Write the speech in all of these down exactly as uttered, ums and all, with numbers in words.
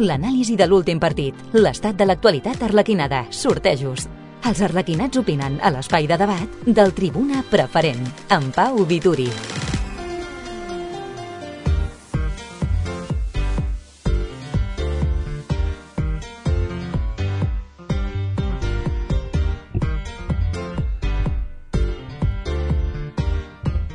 L'anàlisi de l'últim partit, l'estat de l'actualitat arlequinada, sortejos. Els arlequinats opinen a l'espai de debat del Tribuna Preferent, amb Pau Vituri.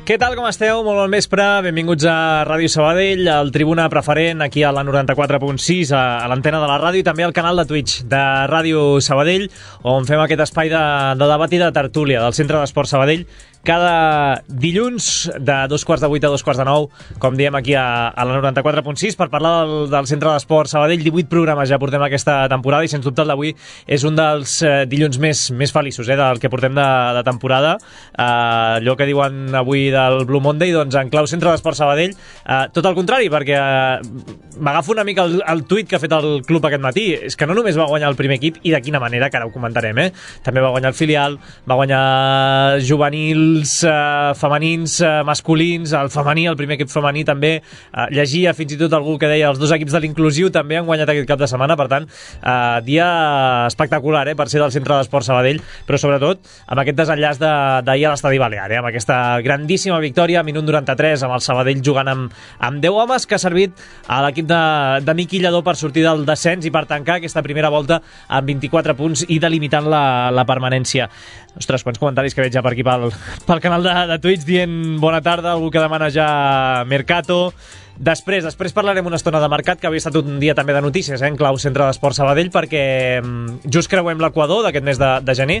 Què tal, com esteu? Molt bon vespre, benvinguts a Ràdio Sabadell, al Tribuna Preferent, aquí a la noranta-quatre punt sis, a l'antena de la ràdio, i també al canal de Twitch de Ràdio Sabadell, on fem aquest espai de, de debat i de tertúlia del Centre d'Esport Sabadell, cada dilluns de dos quarts de vuit a dos quarts de nou, com diem aquí a, a la noranta-quatre punt sis, per parlar del, del Centre d'Esport Sabadell. divuit programes ja portem aquesta temporada i, sens dubte, el d'avui és un dels eh, dilluns més, més feliços eh, del que portem de, de temporada. Eh, allò que diuen avui del Blue Monday, doncs en clau Centre d'Esport Sabadell, eh, tot el contrari, perquè eh, m'agafo una mica el, el tuit que ha fet el club aquest matí. És que no només va guanyar el primer equip, i de quina manera, que ara ho comentarem, eh? També va guanyar el filial, va guanyar juvenil, Uh, femenins, uh, masculins, el femení, el primer equip femení també, uh, llegia fins i tot algú que deia els dos equips de l'inclusiu també han guanyat aquest cap de setmana. Per tant, uh, dia espectacular eh, per ser del Centre d'Esport Sabadell, però sobretot amb aquest desenllaç d'ahir a l'Estadi Balear, eh, amb aquesta grandíssima victòria, minut noranta-tres, amb el Sabadell jugant amb, amb deu homes, que ha servit a l'equip de, de Miqui Lledó per sortir del descens i per tancar aquesta primera volta amb vint-i-quatre punts i delimitant la, la permanència. Ostres, quants comentaris que veig ja per aquí pel, pel canal de, de Twitch dient bona tarda, algú que demana ja Mercato. Després, després parlarem una estona de mercat, que havia estat un dia també de notícies, eh, en clau Centre d'Esport Sabadell, perquè just creuem l'Equador d'aquest mes de, de gener,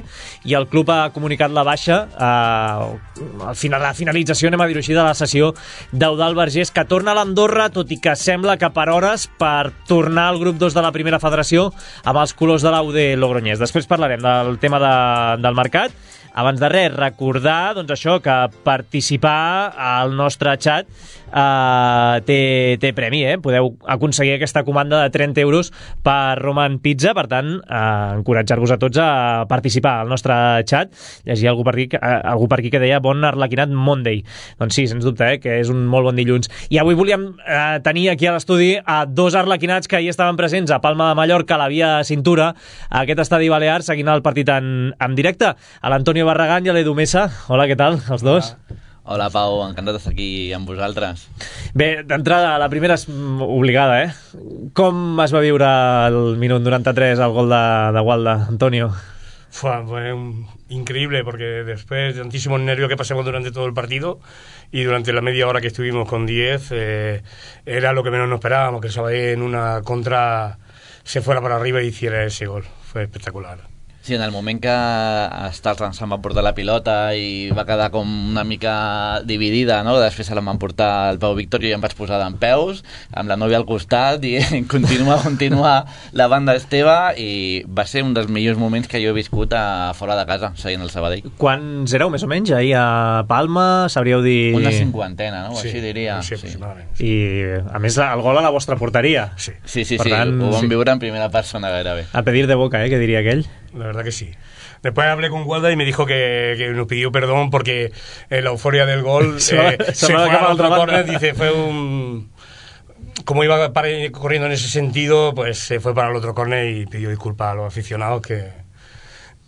i el club ha comunicat la baixa, eh, al final, la finalització, anem a dir-ho així, de la sessió d'Eudald Vergés, que torna a l'Andorra, tot i que sembla que per hores, per tornar al grup dos de la primera federació amb els colors de l'A U D Logroñés. Després parlarem del tema de, del mercat. Abans de res, recordar doncs això, que participar al nostre xat eh, té, té premi, eh? Podeu aconseguir aquesta comanda de trenta euros per Roman Pizza. Per tant, eh, encoratjar-vos a tots a participar al nostre xat. Llegia algú per aquí, eh, algú per aquí que deia bon Arlequinat Monday. Doncs sí, sens dubte, eh, que és un molt bon dilluns. I avui volíem eh, tenir aquí a l'estudi a dos arlequinats que ahir estaven presents a Palma de Mallorca, a la Via Cintura, a aquest estadi balear, seguint el partit en, en directe. A l'Antonio Barragán i a l'Edu Mesa. Hola, què tal, els dos? Hola. Hola, Pau, encantat d'estar aquí amb vosaltres. Bé, d'entrada, la primera és obligada, eh? Com es va viure el minut noranta-tres, el gol de, de Walda, Antonio? Fue, fue un, increíble, porque después de tantísimos nervios que pasamos durante todo el partido y durante la media hora que estuvimos con diez, eh, era lo que menos nos esperábamos, que el Sabadell en una contra se fuera para arriba y hiciera ese gol. Fue espectacular. Sí, en el moment que Starland se'n va portar la pilota i va quedar com una mica dividida, no? Després se la van portar el Pau Víctor i jo em vaig posar d'en peus, amb la nòvia al costat, i continua, continua la banda Esteve, i va ser un dels millors moments que jo he viscut a fora de casa, seguint el Sabadell. Quants éreu, més o menys, ahir a Palma? Sabríeu dir... Una cinquantena, no? Sí, així diria. Sí, sí. I, a més, el gol a la vostra porteria. Sí, sí, sí, per sí. tant, ho vam sí. viure en primera persona gairebé. A pedir de boca, eh, que diria aquell. La verdad que sí. Después hablé con Walda y me dijo que, que nos pidió perdón porque en la euforia del gol se, eh, se, se se fue a otro banda. córner. Dice, fue un... Como iba para, corriendo en ese sentido, pues se fue para el otro córner y pidió disculpas a los aficionados que,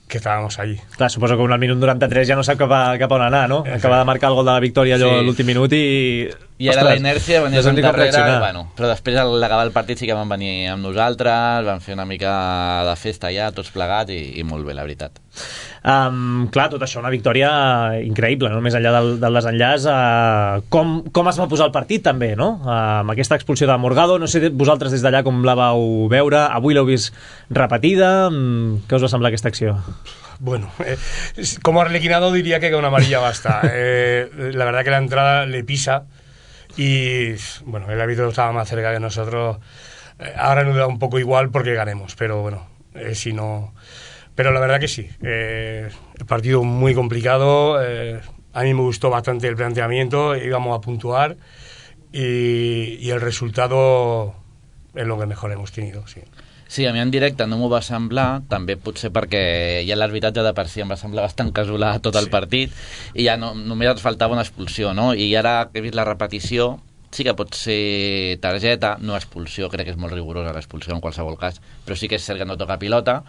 que estábamos allí. Clar, suposo que un al minut noranta-tres ja no sap cap, a, cap on anar, no? Acaba de marcar el gol de la victòria allò sí. l'últim minut i... I era la inèrcia, venies endarrere, bueno, però després a l'acabar el partit sí que van venir amb nosaltres, van fer una mica de festa ja, tots plegats, i, i molt bé, la veritat. Um, clar, tot això, una victòria increïble, no? Més enllà del, del desenllaç. Uh, com, com es va posar el partit, també, no? Uh, amb aquesta expulsió de Morgado, no sé vosaltres des d'allà com la vau veure, avui l'heu vist repetida, um, què us va semblar aquesta acció? Bueno, eh, como arlequinado diría que con una amarilla basta. Eh, la verdad que la entrada le pisa y, bueno, el árbitro estaba más cerca que nosotros. Eh, ahora nos da un poco igual porque ganemos, pero bueno, eh, si no... Pero la verdad que sí, eh, el partido muy complicado, eh, a mí me gustó bastante el planteamiento, íbamos a puntuar y, y el resultado es lo que mejor hemos tenido, sí. Sí, a mi en directe no m'ho va semblar, també potser perquè ja l'arbitratge de per si em va semblar bastant casolà tot el sí. partit, i ja no, només et faltava una expulsió, no? I ara que he vist la repetició, sí que pot ser targeta, no expulsió, crec que és molt rigorosa l'expulsió en qualsevol cas, però sí que és cert que no toca pilota.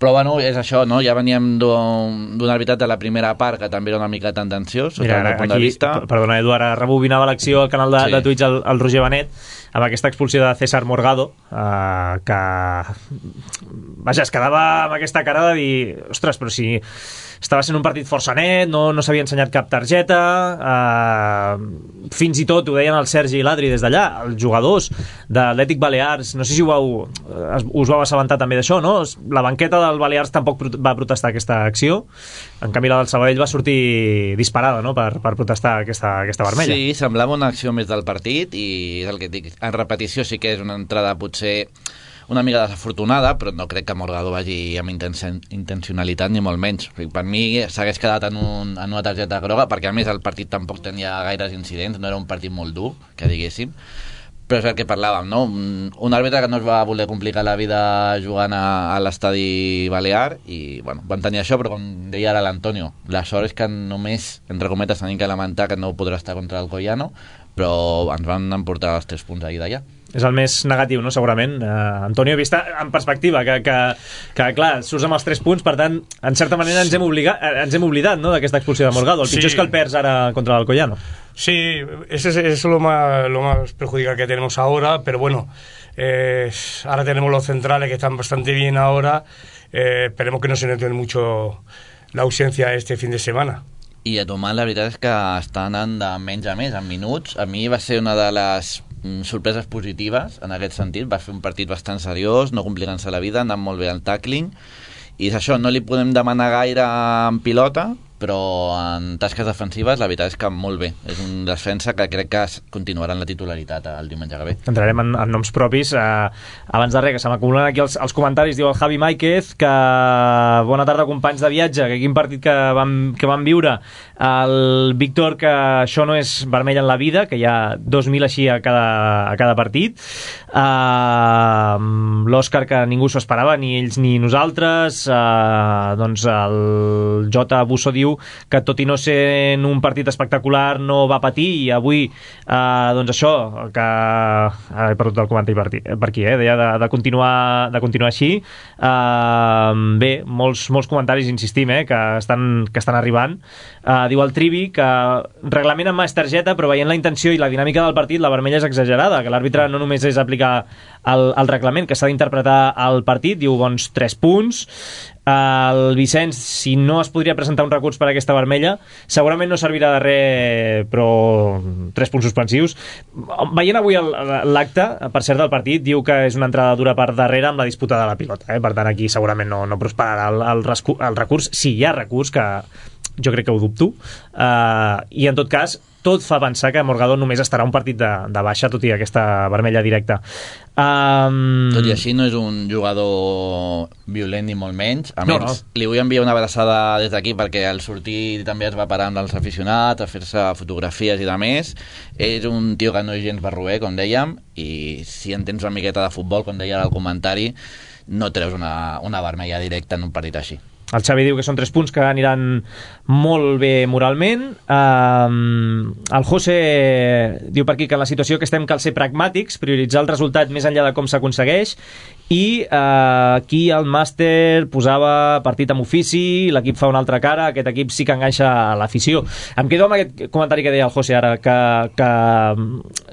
Però bueno, és això, no? Ja veníem d'un arbitrat de la primera part que també era una mica tendenciós sota el meu punt de vista. Perdona, Edu, ara rebobinava l'acció al canal de, sí. de Twitch el, el Roger Benet amb aquesta expulsió de César Morgado, eh, que vaja, es quedava amb aquesta cara de dir, ostres, però si estava sent un partit força net, no, no s'havia ensenyat cap targeta, eh, fins i tot ho deien el Sergi i l'Adri des d'allà, els jugadors de l'Atlètic Balears, no sé si ho vau, us vau assabentar també d'això, no? La banqueta del Balears tampoc va protestar aquesta acció, en canvi la del Sabadell va sortir disparada, no?, per, per protestar aquesta, aquesta vermella. Sí, semblava una acció més del partit i és el que dic, en repetició sí que és una entrada potser una mica desafortunada, però no crec que Morgado vagi amb intensen, intencionalitat ni molt menys. Per mi s'hagués quedat en, un, en una targeta groga, perquè a més el partit tampoc tenia gaires incidents, no era un partit molt dur, que diguéssim, però és el que parlàvem, no? Un, un àrbitre que no es va voler complicar la vida jugant a, a l'estadi balear i, bueno, van tenir això, però com deia ara l'Antonio, la sort és que només, entre cometes, tenim que lamentar que no podrà estar contra el Collano, però ens van emportar els tres punts ahir d'allà. És el més negatiu, no?, segurament. Uh, Antonio, vista en perspectiva, que, que, que clar, surts amb els tres punts, per tant, en certa manera ens hem, obligat, ens hem oblidat, no?, d'aquesta expulsió de Morgado. El pitjor sí. és que el perds ara contra el Collano. Sí, eso es, es lo, más, lo más perjudicial que tenemos ahora, pero bueno, eh, ahora tenemos los centrales que están bastante bien ahora, eh, esperemos que no se note mucho la ausencia este fin de semana. I a Tomàs la veritat és que està anant de menys a més, en minuts. A mi va ser una de les sorpreses positives en aquest sentit, va fer un partit bastant seriós, no complicant-se la vida, anant molt bé al tackling, i és això, no li podem demanar gaire en pilota, però en tasques defensives la veritat és que molt bé. És un defensa que crec que continuarà en la titularitat el diumenge que ve. Entrarem en, en noms propis. Eh, abans de res, que se m'acumulen aquí els, els comentaris, diu el Javi Máiquez que bona tarda, companys de viatge, que quin partit que vam, que vam viure. El Víctor, que això no és vermell en la vida, que hi ha dos mil així a cada, a cada partit. Uh, L'Òscar, que ningú s'ho esperava, ni ells ni nosaltres. Uh, doncs el J. Busso diu que tot i no ser un partit espectacular no va patir, i avui eh, doncs això, que he perdut el comentari per, per aquí, eh? deia de, de, continuar, de continuar així. Eh, bé, molts, molts comentaris, insistim, eh? que, estan, que estan arribant. Eh, diu el Trivi que reglament amb mà és targeta, però veient la intenció i la dinàmica del partit, la vermella és exagerada, que l'àrbitre no només és aplicar el, el reglament, que s'ha d'interpretar el partit, diu bons tres punts. El Vicenç, si no es podria presentar un recurs per a aquesta vermella, segurament no servirà de res, però tres punts suspensius. Veient avui l'acte, per cert, del partit, diu que és una entrada dura per darrere amb la disputa de la pilota, eh? Per tant aquí segurament no, no prosperarà el, el, el recurs, si hi ha recurs, que jo crec que ho dubto, uh, i en tot cas tot fa pensar que Morgado només estarà un partit de, de baixa, tot i aquesta vermella directa. Um... Tot i així no és un jugador violent ni molt menys. A no, més, no. li vull enviar una abraçada des d'aquí, perquè al sortir també es va parar amb els aficionats a fer-se fotografies i de més. És un tio que no és gens barroer, com dèiem, i si entens una miqueta de futbol, com deia al comentari, no treus una, una vermella directa en un partit així. El Xavi diu que són tres punts que aniran molt bé moralment. Um, el José diu per aquí que en la situació que estem cal ser pragmàtics, prioritzar el resultat més enllà de com s'aconsegueix, i uh, aquí el màster posava partit amb ofici, l'equip fa una altra cara, aquest equip sí que enganxa a l'afició. Em quedo amb aquest comentari que deia el José ara, que, que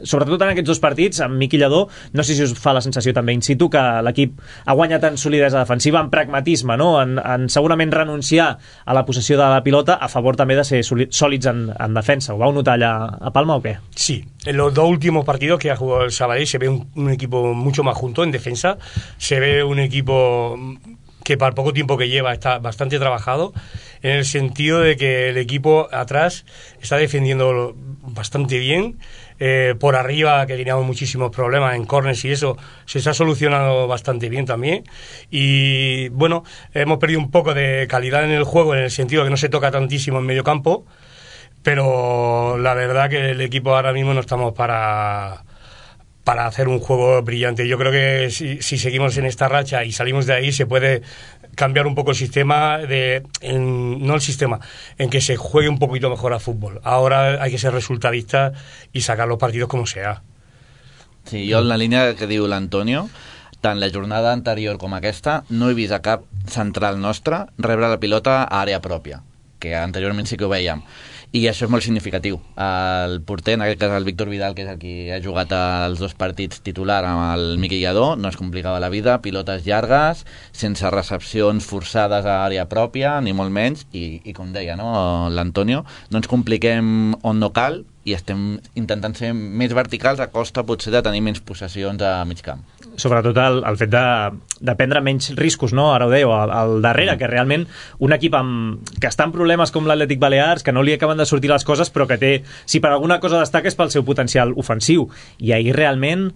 sobretot en aquests dos partits, amb Miqui Lladó, no sé si us fa la sensació també in situ que l'equip ha guanyat en solidesa defensiva, en pragmatisme, no? en, en segurament renunciar a la possessió de la pilota a favor també de ser sòlids en, en defensa. Ho vau notar allà a Palma o què? Sí, en los dos últimos partidos que ha jugado el Sabadell se ve un, un equipo mucho más junto en defensa, se ve un equipo que para el poco tiempo que lleva está bastante trabajado, en el sentido de que el equipo atrás está defendiendo bastante bien, eh, por arriba, que teníamos muchísimos problemas en corners y eso, se está solucionando bastante bien también, y bueno, hemos perdido un poco de calidad en el juego, en el sentido de que no se toca tantísimo en medio campo, pero la verdad que el equipo ahora mismo no estamos para... para hacer un juego brillante. Yo creo que si, si seguimos en esta racha y salimos de ahí, se puede cambiar un poco el sistema, de en, no el sistema, en que se juegue un poquito mejor al fútbol. Ahora hay que ser resultadista y sacar los partidos como sea. Sí, jo en la línia que diu l'Antonio, tant la jornada anterior com aquesta, no he vist a cap central nostre rebre la pilota a àrea pròpia, que anteriorment sí que ho veiem. I això és molt significatiu. El porter, en aquest cas el Víctor Vidal, que és el qui ha jugat els dos partits titular amb el Miqui Lladó, no es complicava la vida, pilotes llargues, sense recepcions forçades a àrea pròpia, ni molt menys, i, i com deia, no, l'Antonio, no ens compliquem on no cal i estem intentant ser més verticals a costa potser de tenir menys possessions a mig camp. Sobretot el, el fet de, de prendre menys riscos, no? Ara ho dèieu, al, al darrere, que realment un equip amb, que està en problemes com l'Atlètic Balears, que no li acaben de sortir les coses, però que té, si per alguna cosa destaca és pel seu potencial ofensiu, i ahir realment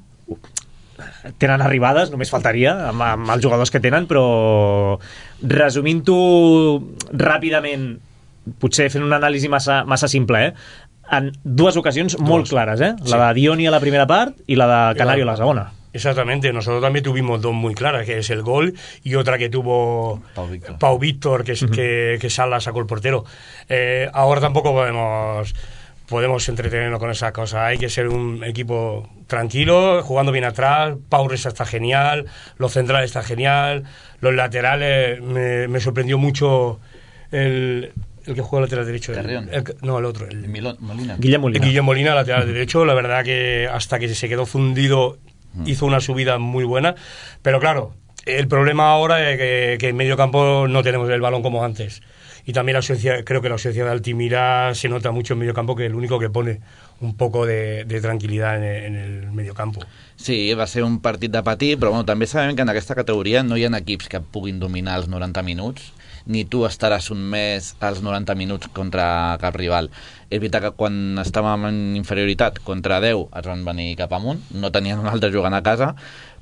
tenen arribades, només faltaria amb, amb els jugadors que tenen, però resumint-ho ràpidament, potser fent una anàlisi massa, massa simple, eh? En dues ocasions dos. Molt clares, eh? La sí. de Dioni a la primera part i la de Canario a la segona. Exactamente, nosotros también tuvimos dos muy claras, que es el gol y otra que tuvo Pau Víctor, Pau Víctor que, es, uh-huh. que, que Sala sacó el portero. Eh, ahora tampoco podemos podemos entretenernos con esas cosas, hay que ser un equipo tranquilo, jugando bien atrás. Pau Resa está genial, los centrales está genial, los laterales, me, me sorprendió mucho el... el que juega lateral derecho. El, el, no, el otro. El, Milón, Molina. Guillem Molina. Guillem Molina, lateral derecho. La verdad que hasta que se quedó fundido hizo una subida muy buena. Pero claro, el problema ahora es que, que en medio campo no tenemos el balón como antes. Y también la ausencia, creo que la ausencia de Altimira se nota mucho en medio campo, que es el único que pone un poco de, de tranquil·litat en, en el medio campo. Sí, va ser un partit de patir, però bueno, també sabem que en aquesta categoria no hi ha equips que puguin dominar els noranta minuts, ni tu estaràs un mes als noranta minuts contra cap rival. És veritat que quan estàvem en inferioritat contra deu es van venir cap amunt, no tenien un altre jugant a casa,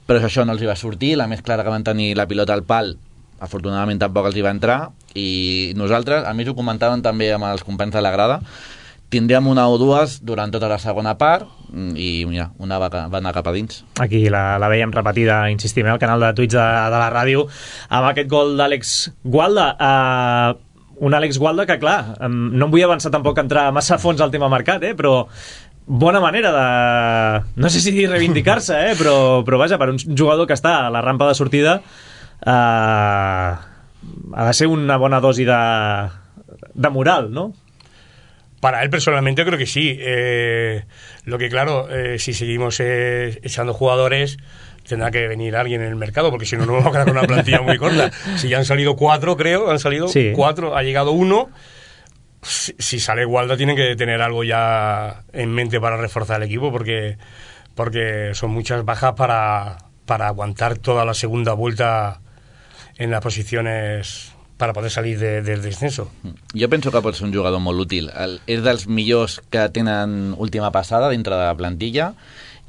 però això no els hi va sortir. La més clara que van tenir la pilota al pal, afortunadament tampoc els hi va entrar, i nosaltres, a mi ho comentaven també amb els companys de la grada, tindríem una o dues durant tota la segona part i mira, una va, va anar cap a dins. Aquí la, la veiem repetida, insistim, eh, al canal de Twitch de, de la ràdio, amb aquest gol d'Àlex Gualda. Uh, un Àlex Gualda que, clar, um, no em vull avançar tampoc a entrar massa a fons al tema mercat, eh, però bona manera de... no sé si dir reivindicar-se, eh, però, però vaja, per un jugador que està a la rampa de sortida uh, ha de ser una bona dosi de, de moral, no? Para él personalmente creo que sí. Eh, lo que claro, eh, si seguimos eh, echando jugadores, tendrá que venir alguien en el mercado, porque si no, no vamos a quedar con una plantilla muy corta. Si ya han salido cuatro, creo, han salido sí. cuatro, ha llegado uno. Si, si sale Gualda, tienen que tener algo ya en mente para reforzar el equipo, porque, porque son muchas bajas para, para aguantar toda la segunda vuelta en las posiciones para poder salir de, del descenso. Jo penso que pot ser un jugador molt útil. El, és dels millors que tenen última passada dintre de la plantilla.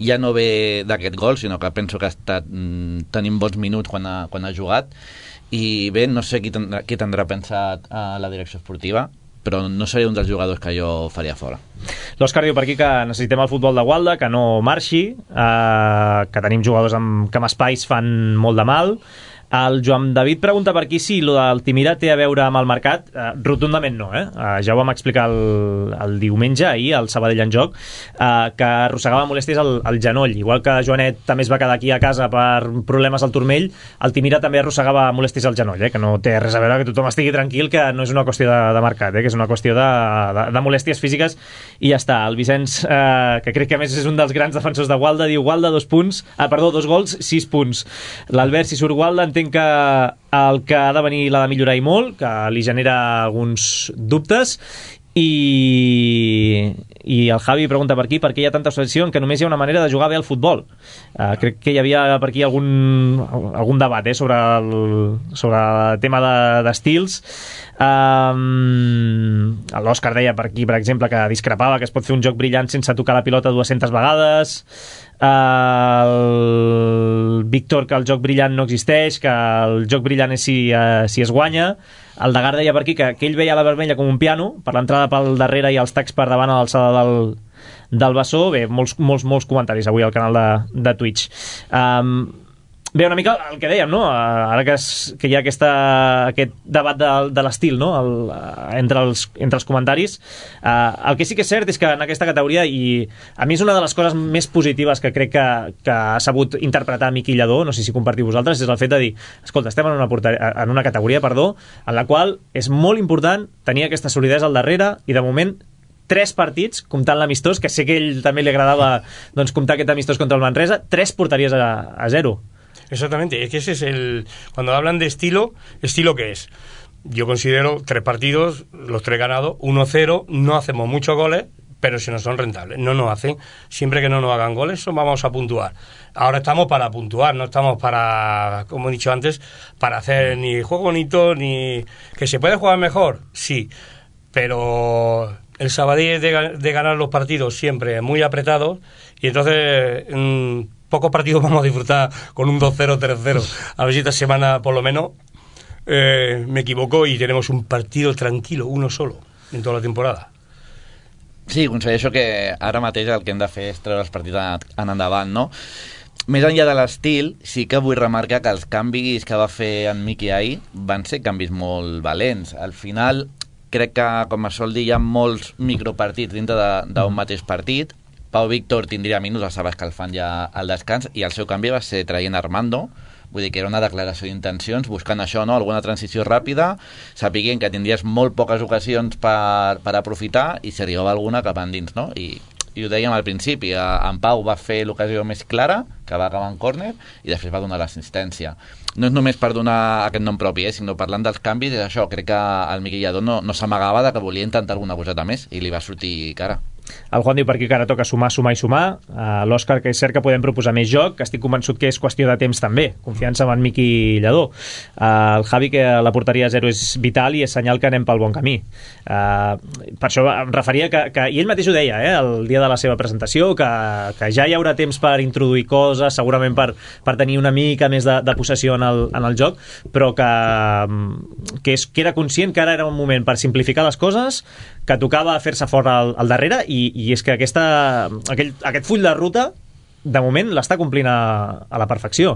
Ja no ve d'aquest gol, sinó que penso que ha estat mm, tenint bons minuts quan ha, quan ha jugat. I bé, no sé qui tindrà, qui tindrà pensat a la direcció esportiva, però no seria un dels jugadors que jo faria fora. L'Òscar diu per aquí que necessitem el futbol de Gualda, que no marxi, eh, que tenim jugadors amb, que amb espais fan molt de mal. El Joan David pregunta per aquí si lo d'Altimira té a veure amb el mercat. Uh, rotundament no, eh? Uh, ja ho vam explicar el, el diumenge, ahir, al Sabadell en Joc, uh, que arrossegava molèsties al, al genoll. Igual que Joanet també es va quedar aquí a casa per problemes al turmell, Altimira també arrossegava molèsties al genoll, eh? Que no té res a veure, que tothom estigui tranquil, que no és una qüestió de, de mercat, eh? Que és una qüestió de, de, de molèsties físiques, i ja està. El Vicenç, uh, que crec que a més és un dels grans defensors de Gualda, diu Gualda, dos punts, ah, perdó, dos gols, sis punts. L'Albert, si surt Gualda, entenc que el que ha de venir l'ha de millorar i molt, que li genera alguns dubtes, i, i el Javi pregunta per aquí per què hi ha tanta obsessió en que només hi ha una manera de jugar bé al futbol. Uh, crec que hi havia per aquí algun, algun debat eh, sobre, el, sobre el tema d'estils. Um, l'Òscar deia per aquí, per exemple, que discrepava que es pot fer un joc brillant sense tocar la pilota dues-centes vegades. Uh, el Víctor, que el joc brillant no existeix, que el joc brillant és si, uh, si es guanya. El Degard deia per aquí que, que ell veia la vermella com un piano, per l'entrada pel darrere i els tacs per davant a l'alçada del, del bessó. Bé, molts, molts, molts comentaris avui al canal de, de Twitch. Um, Bé, una mica el que dèiem, no? Ara que, es, que hi ha aquesta, aquest debat de, de l'estil, no? El, entre, els, entre els comentaris, eh, el que sí que és cert és que en aquesta categoria, i a mi és una de les coses més positives que crec que, que ha sabut interpretar Miqui Lladó, no sé si compartiu vosaltres, és el fet de dir, escolta, estem en una, porter, en una categoria, perdó, en la qual és molt important tenir aquesta solidesa al darrere, i de moment tres partits, comptant l'amistós, que sé que a ell també li agradava doncs, comptar aquest amistós contra el Manresa, tres porteries a, a zero. Exactamente, es que ese es el... Cuando hablan de estilo, ¿estilo qué es? Yo considero tres partidos, los tres ganados, uno cero, no hacemos muchos goles, pero si no son rentables, no nos hacen, siempre que no nos hagan goles, vamos a puntuar. Ahora estamos para puntuar, no estamos para, como he dicho antes, para hacer ni juego bonito, ni... ¿Que se puede jugar mejor? Sí, pero el Sabadell es de, de ganar los partidos siempre muy apretados, y entonces... Mmm, pocos partidos vamos a disfrutar con un dos cero, tres cero. A ver si esta semana, por lo menos, eh, me equivoco y tenemos un partido tranquilo, uno solo, en toda la temporada. Sí, considero que ara mateix el que hem de fer és treure els partits en endavant, no? Més enllà de l'estil, sí que vull remarcar que els canvis que va fer en Miqui ahir van ser canvis molt valents. Al final, crec que, com es sol dir, hi ha molts micropartits dintre d'un mateix partit. Pau Víctor tindria minuts, estava escalfant ja al descans, i el seu canvi va ser traient Armando, vull dir que era una declaració d'intencions, buscant això, no? Alguna transició ràpida, sapiguent que tindries molt poques ocasions per, per aprofitar, i si arribava alguna cap endins, no? I, i ho dèiem al principi, en Pau va fer l'ocasió més clara, que va acabar en córner, i després va donar l'assistència. No és només per donar aquest nom propi, eh, sinó parlant dels canvis, és això, crec que el Miqui Lladó no, no s'amagava de que volia intentar alguna coseta més, i li va sortir cara. El Juan diu per aquí que ara toca sumar, sumar i sumar. Uh, L'Òscar, que és cert que podem proposar més joc, que estic convençut que és qüestió de temps també. Confiança en Miqui Lladó. Uh, el Javi, que la porteria zero és vital i és senyal que anem pel bon camí. Uh, per això em referia que, que... I ell mateix ho deia, eh, el dia de la seva presentació, que, que ja hi haurà temps per introduir coses, segurament per, per tenir una mica més de, de possessió en el, en el joc, però que, que, és, que era conscient que ara era un moment per simplificar les coses, que tocava fer-se fora al, al darrere, i, i és que aquesta, aquell, aquest full de ruta de moment l'està complint a, a la perfecció,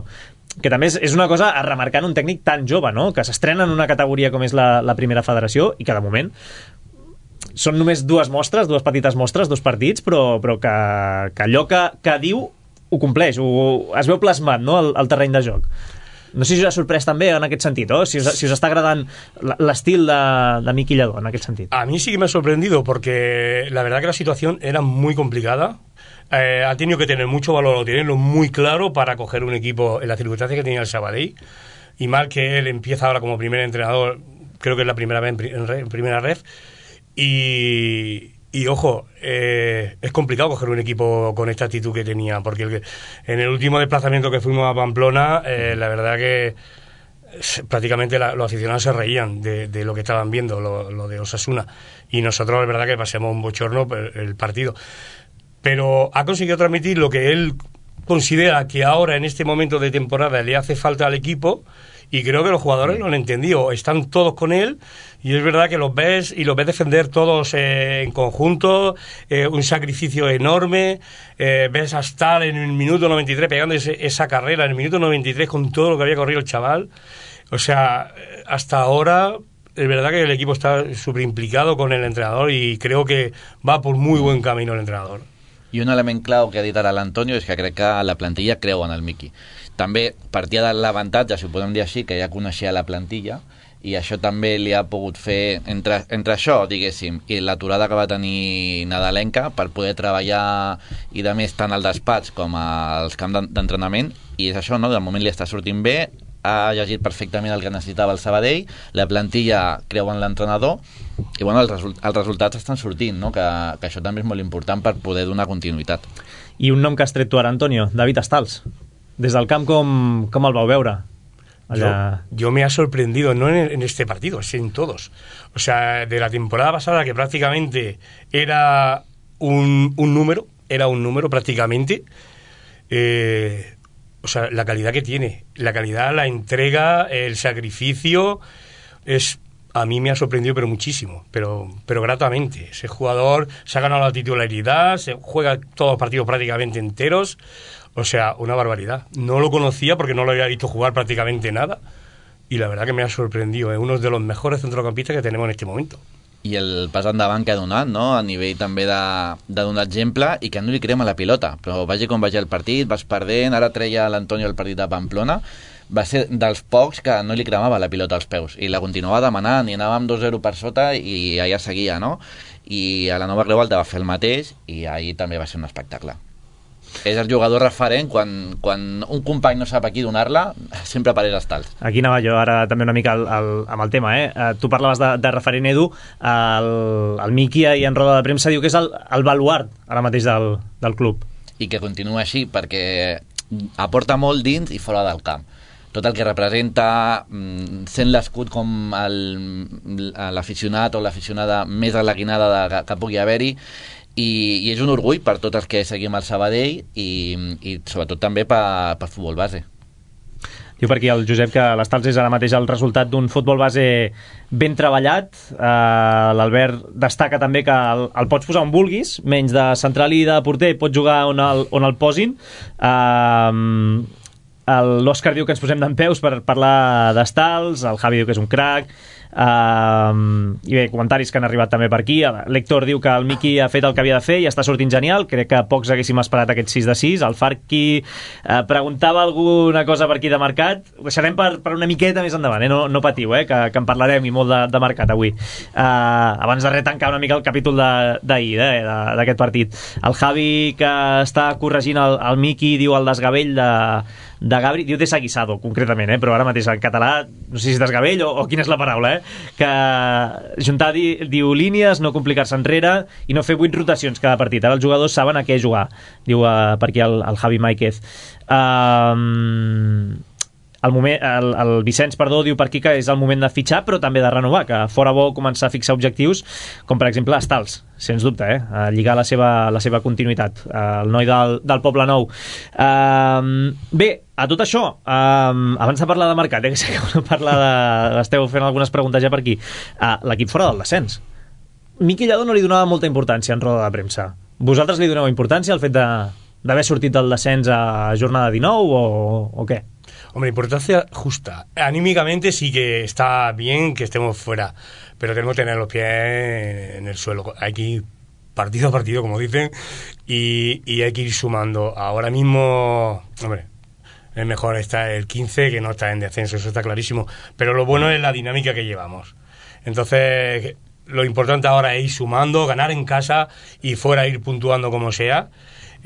que també és, és una cosa a remarcar en un tècnic tan jove, no? Que s'estrena en una categoria com és la, la primera federació, i que de moment són només dues mostres, dues petites mostres, dos partits, però, però que, que allò que, que diu ho compleix, ho, es veu plasmat, no? al, al terreny de joc. No sé si us ha sorprès també en aquest sentit, ¿no? si, us, si us està agradant l'estil de, de Miqui Lladó en aquest sentit. A mí sí que me ha sorprendido porque la verdad que la situación era muy complicada. Eh, ha tenido que tener mucho valor o tenerlo muy claro para coger un equipo en las circunstancias que tenía el Sabadell, y mal que él empieza ahora como primer entrenador, creo que es la primera vez en, en, en primera ref, y... Y ojo, eh, es complicado coger un equipo con esta actitud que tenía, porque el que, en el último desplazamiento que fuimos a Pamplona, eh, la verdad que prácticamente la, los aficionados se reían de, de lo que estaban viendo, lo, lo de Osasuna, y nosotros la verdad que pasemos un bochorno el partido. Pero ha conseguido transmitir lo que él considera que ahora en este momento de temporada le hace falta al equipo, y creo que los jugadores lo han entendido, están todos con él, y es verdad que los ves y los ves defender todos eh, en conjunto, eh, un sacrificio enorme, eh, ves a Stal en el minuto noventa y tres pegando ese, esa carrera en el minuto noventa y tres con todo lo que había corrido el chaval. O sea, hasta ahora es verdad que el equipo está súper implicado con el entrenador, y creo que va por muy buen camino el entrenador. I un element clau que ha dit ara l'Antonio és que crec que la plantilla creu en el Miqui. També partia de l'avantatge, si ho podem dir així, que ja coneixia la plantilla, i això també li ha pogut fer, entre, entre això, diguéssim, i l'aturada que va tenir nadalenca, per poder treballar i de més tant al despatx com als camps d'entrenament, i és això, no? De moment li està sortint bé, ha llegit perfectament el que necessitava el Sabadell, la plantilla creu en l'entrenador, i bueno, els, result els resultats estan sortint, no? que, que això també és molt important per poder donar continuïtat. I un nom que has tret tu ara, Antonio, David Stals. Des del camp, com, com el vau veure? Allá... Yo, yo me ha sorprendido, no en, en este partido, es en todos. O sea, de la temporada pasada, que prácticamente era un, un número, era un número prácticamente, eh, o sea, la calidad que tiene, la calidad, la entrega, el sacrificio, es... A mí me ha sorprendido, pero muchísimo, pero, pero gratamente. Ese jugador se ha ganado la titularidad, se juega todos los partidos prácticamente enteros. O sea, una barbaridad. No lo conocía porque no lo había visto jugar prácticamente nada. Y la verdad que me ha sorprendido. Es uno de los mejores centrocampistas que tenemos en este momento. I el pas endavant que ha donat, no? A nivell també de, de donar exemple i que no li crema la pilota, però vagi com vagi el partit, vas perdent, ara treia l'Antonio el partit de Pamplona, va ser dels pocs que no li cremava la pilota als peus i la continuava demanant i anàvem dos zero per sota i allà seguia, no? I a la Nova Creu Alta va fer el mateix i ahir també va ser un espectacle. És el jugador referent quan, quan un company no sap a qui donar-la, sempre apareix als tals. Aquí anava jo ara també una mica el, el, amb el tema, eh? Uh, tu parlaves de, de referent, Edu, el, el Miki i en roda de premsa diu que és el, el baluart ara mateix del, del club. I que continua així perquè aporta molt dins i fora del camp. Tot el que representa, sent l'escut com l'aficionat o l'aficionada més alaguinada de, que pugui haver-hi, I, i és un orgull per tots els que seguim el Sabadell i, i sobretot també per, per futbol base. Diu per aquí el Josep que l'Estals és ara mateix el resultat d'un futbol base ben treballat. Uh, l'Albert destaca també que el, el pots posar on vulguis, menys de central i de porter, pots jugar on el, on el posin. Uh, l'Òscar diu que ens posem dempeus per parlar d'Estals, el Javi diu que és un crac. Uh, i bé, comentaris que han arribat també per aquí. L'Héctor diu que el Miki ha fet el que havia de fer i està sortint genial, crec que pocs haguéssim esperat aquest sis de sis. El Farqui uh, preguntava alguna cosa per aquí de mercat, ho deixarem per, per una miqueta més endavant, eh? no, no patiu, eh? que, que en parlarem i molt de, de mercat avui. uh, abans de res tancar una mica el capítol d'ahir, eh? d'aquest partit. El Javi que està corregint el, el Miki diu el desgavell de de Gabri, diu desaguisado concretament, eh? però ara mateix en català no sé si és desgavell o, o quina és la paraula, eh? que juntar di, diu línies, no complicar-se enrere i no fer vuit rotacions cada partit, ara els jugadors saben a què jugar, diu uh, per aquí el, el Javi Máiquez. um, el, moment, el, el Vicenç, perdó, diu per aquí que és el moment de fitxar però també de renovar, que fora bo començar a fixar objectius com per exemple Estals, sens dubte, eh? a lligar la seva, la seva continuïtat, el noi del, del Poble Nou. um, bé, a tot això, um, abans de parlar de mercat, eh, que sé que no parlar de... esteu fent algunes preguntes ja per aquí, uh, l'equip fora del descens. Miqui Lladó no li donava molta importància en roda de premsa. Vosaltres li doneu importància al fet d'haver sortit del descens a jornada dinou o, o què? Hombre, importancia justa. Anímicamente sí que está bien que estemos fuera, pero tenemos que tener los pies en el suelo. Hay que ir partido a partido, como dicen, y, y hay que ir sumando. Ahora mismo, hombre, es mejor estar el quince que no estar en descenso, eso está clarísimo. Pero lo bueno es la dinámica que llevamos. Entonces, lo importante ahora es ir sumando, ganar en casa y fuera ir puntuando como sea.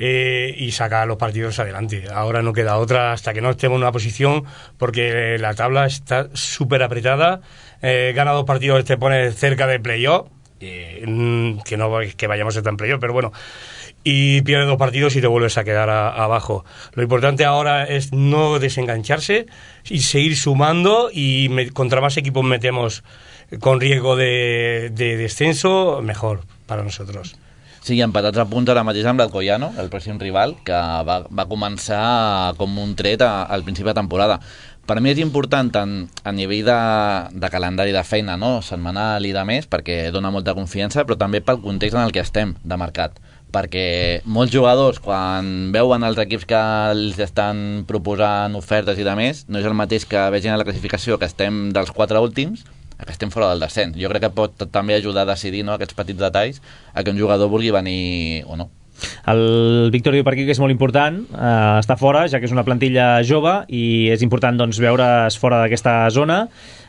Eh, y sacar los partidos adelante. Ahora no queda otra hasta que no estemos en una posición, porque la tabla está súper apretada. Eh, gana dos partidos, te pones cerca de playoff, eh, que no que vayamos a estar en playoff, pero bueno, y pierdes dos partidos y te vuelves a quedar a, abajo. Lo importante ahora es no desengancharse y seguir sumando, y me, contra más equipos metemos con riesgo de, de descenso, mejor para nosotros. Sí, empatats a punt ara mateix amb l'Alcoyano, el pròxim rival, que va, va començar com un tret a, al principi de temporada. Per mi és important tant a nivell de, de calendari de feina, no? setmanal i de més, perquè dona molta confiança, però també pel context en el que estem de mercat. Perquè molts jugadors, quan veuen els equips que els estan proposant ofertes i de més, no és el mateix que vegin a la classificació que estem dels quatre últims, que estem fora del descens. Jo crec que pot també ajudar a decidir, no, aquests petits detalls a que un jugador vulgui venir o no. El Víctor diu per aquí que és molt important eh, estar fora, ja que és una plantilla jove i és important doncs, veure's fora d'aquesta zona.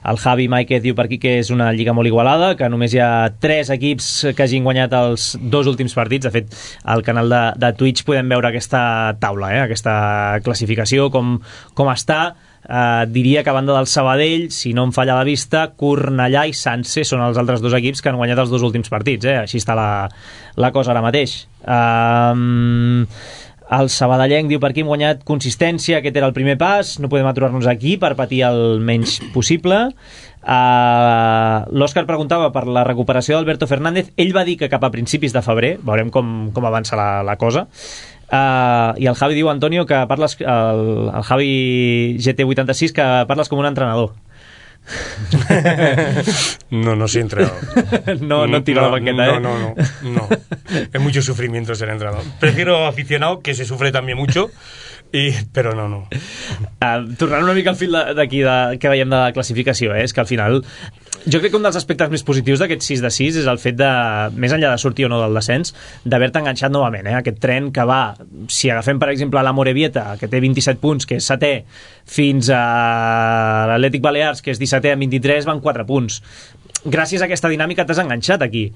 El Javi Máiquez diu per aquí que és una lliga molt igualada, que només hi ha tres equips que hagin guanyat els dos últims partits. De fet, al canal de, de Twitch podem veure aquesta taula, eh, aquesta classificació, com, com està. Uh, diria que a banda del Sabadell, si no em falla la vista, Cornellà i Sanse són els altres dos equips que han guanyat els dos últims partits, eh? Així està la, la cosa ara mateix. uh, el sabadellenc diu per aquí hem guanyat consistència, aquest era el primer pas, no podem aturar-nos aquí per patir el menys possible. Uh, l'Òscar preguntava per la recuperació d'Alberto Fernández. Ell va dir que cap a principis de febrer, veurem com, com avança la, la cosa. Uh, i el Javi diu, Antonio, que parles, el, el Javi G T vuitanta-sis, que parles com un entrenador. No, no soy entrenador. no, no tiro no, la banqueta, no, ¿eh? No, no, no. Es mucho sufrimiento ser entrenador. Prefiero aficionado, que se sufre también mucho, i, però no, no. Uh, tornant una mica al fil d'aquí de, que veiem de la classificació, eh? És que al final jo crec que un dels aspectes més positius d'aquest sis de sis és el fet de, més enllà de sortir o no del descens, d'haver-te enganxat novament, eh? Aquest tren que va, si agafem per exemple la Morevieta, que té vint-i-set punts, que és setè, fins a l'Atlètic Balears, que és dissetè amb vint-i-tres, van quatre punts. Gràcies a aquesta dinàmica t'has enganxat aquí.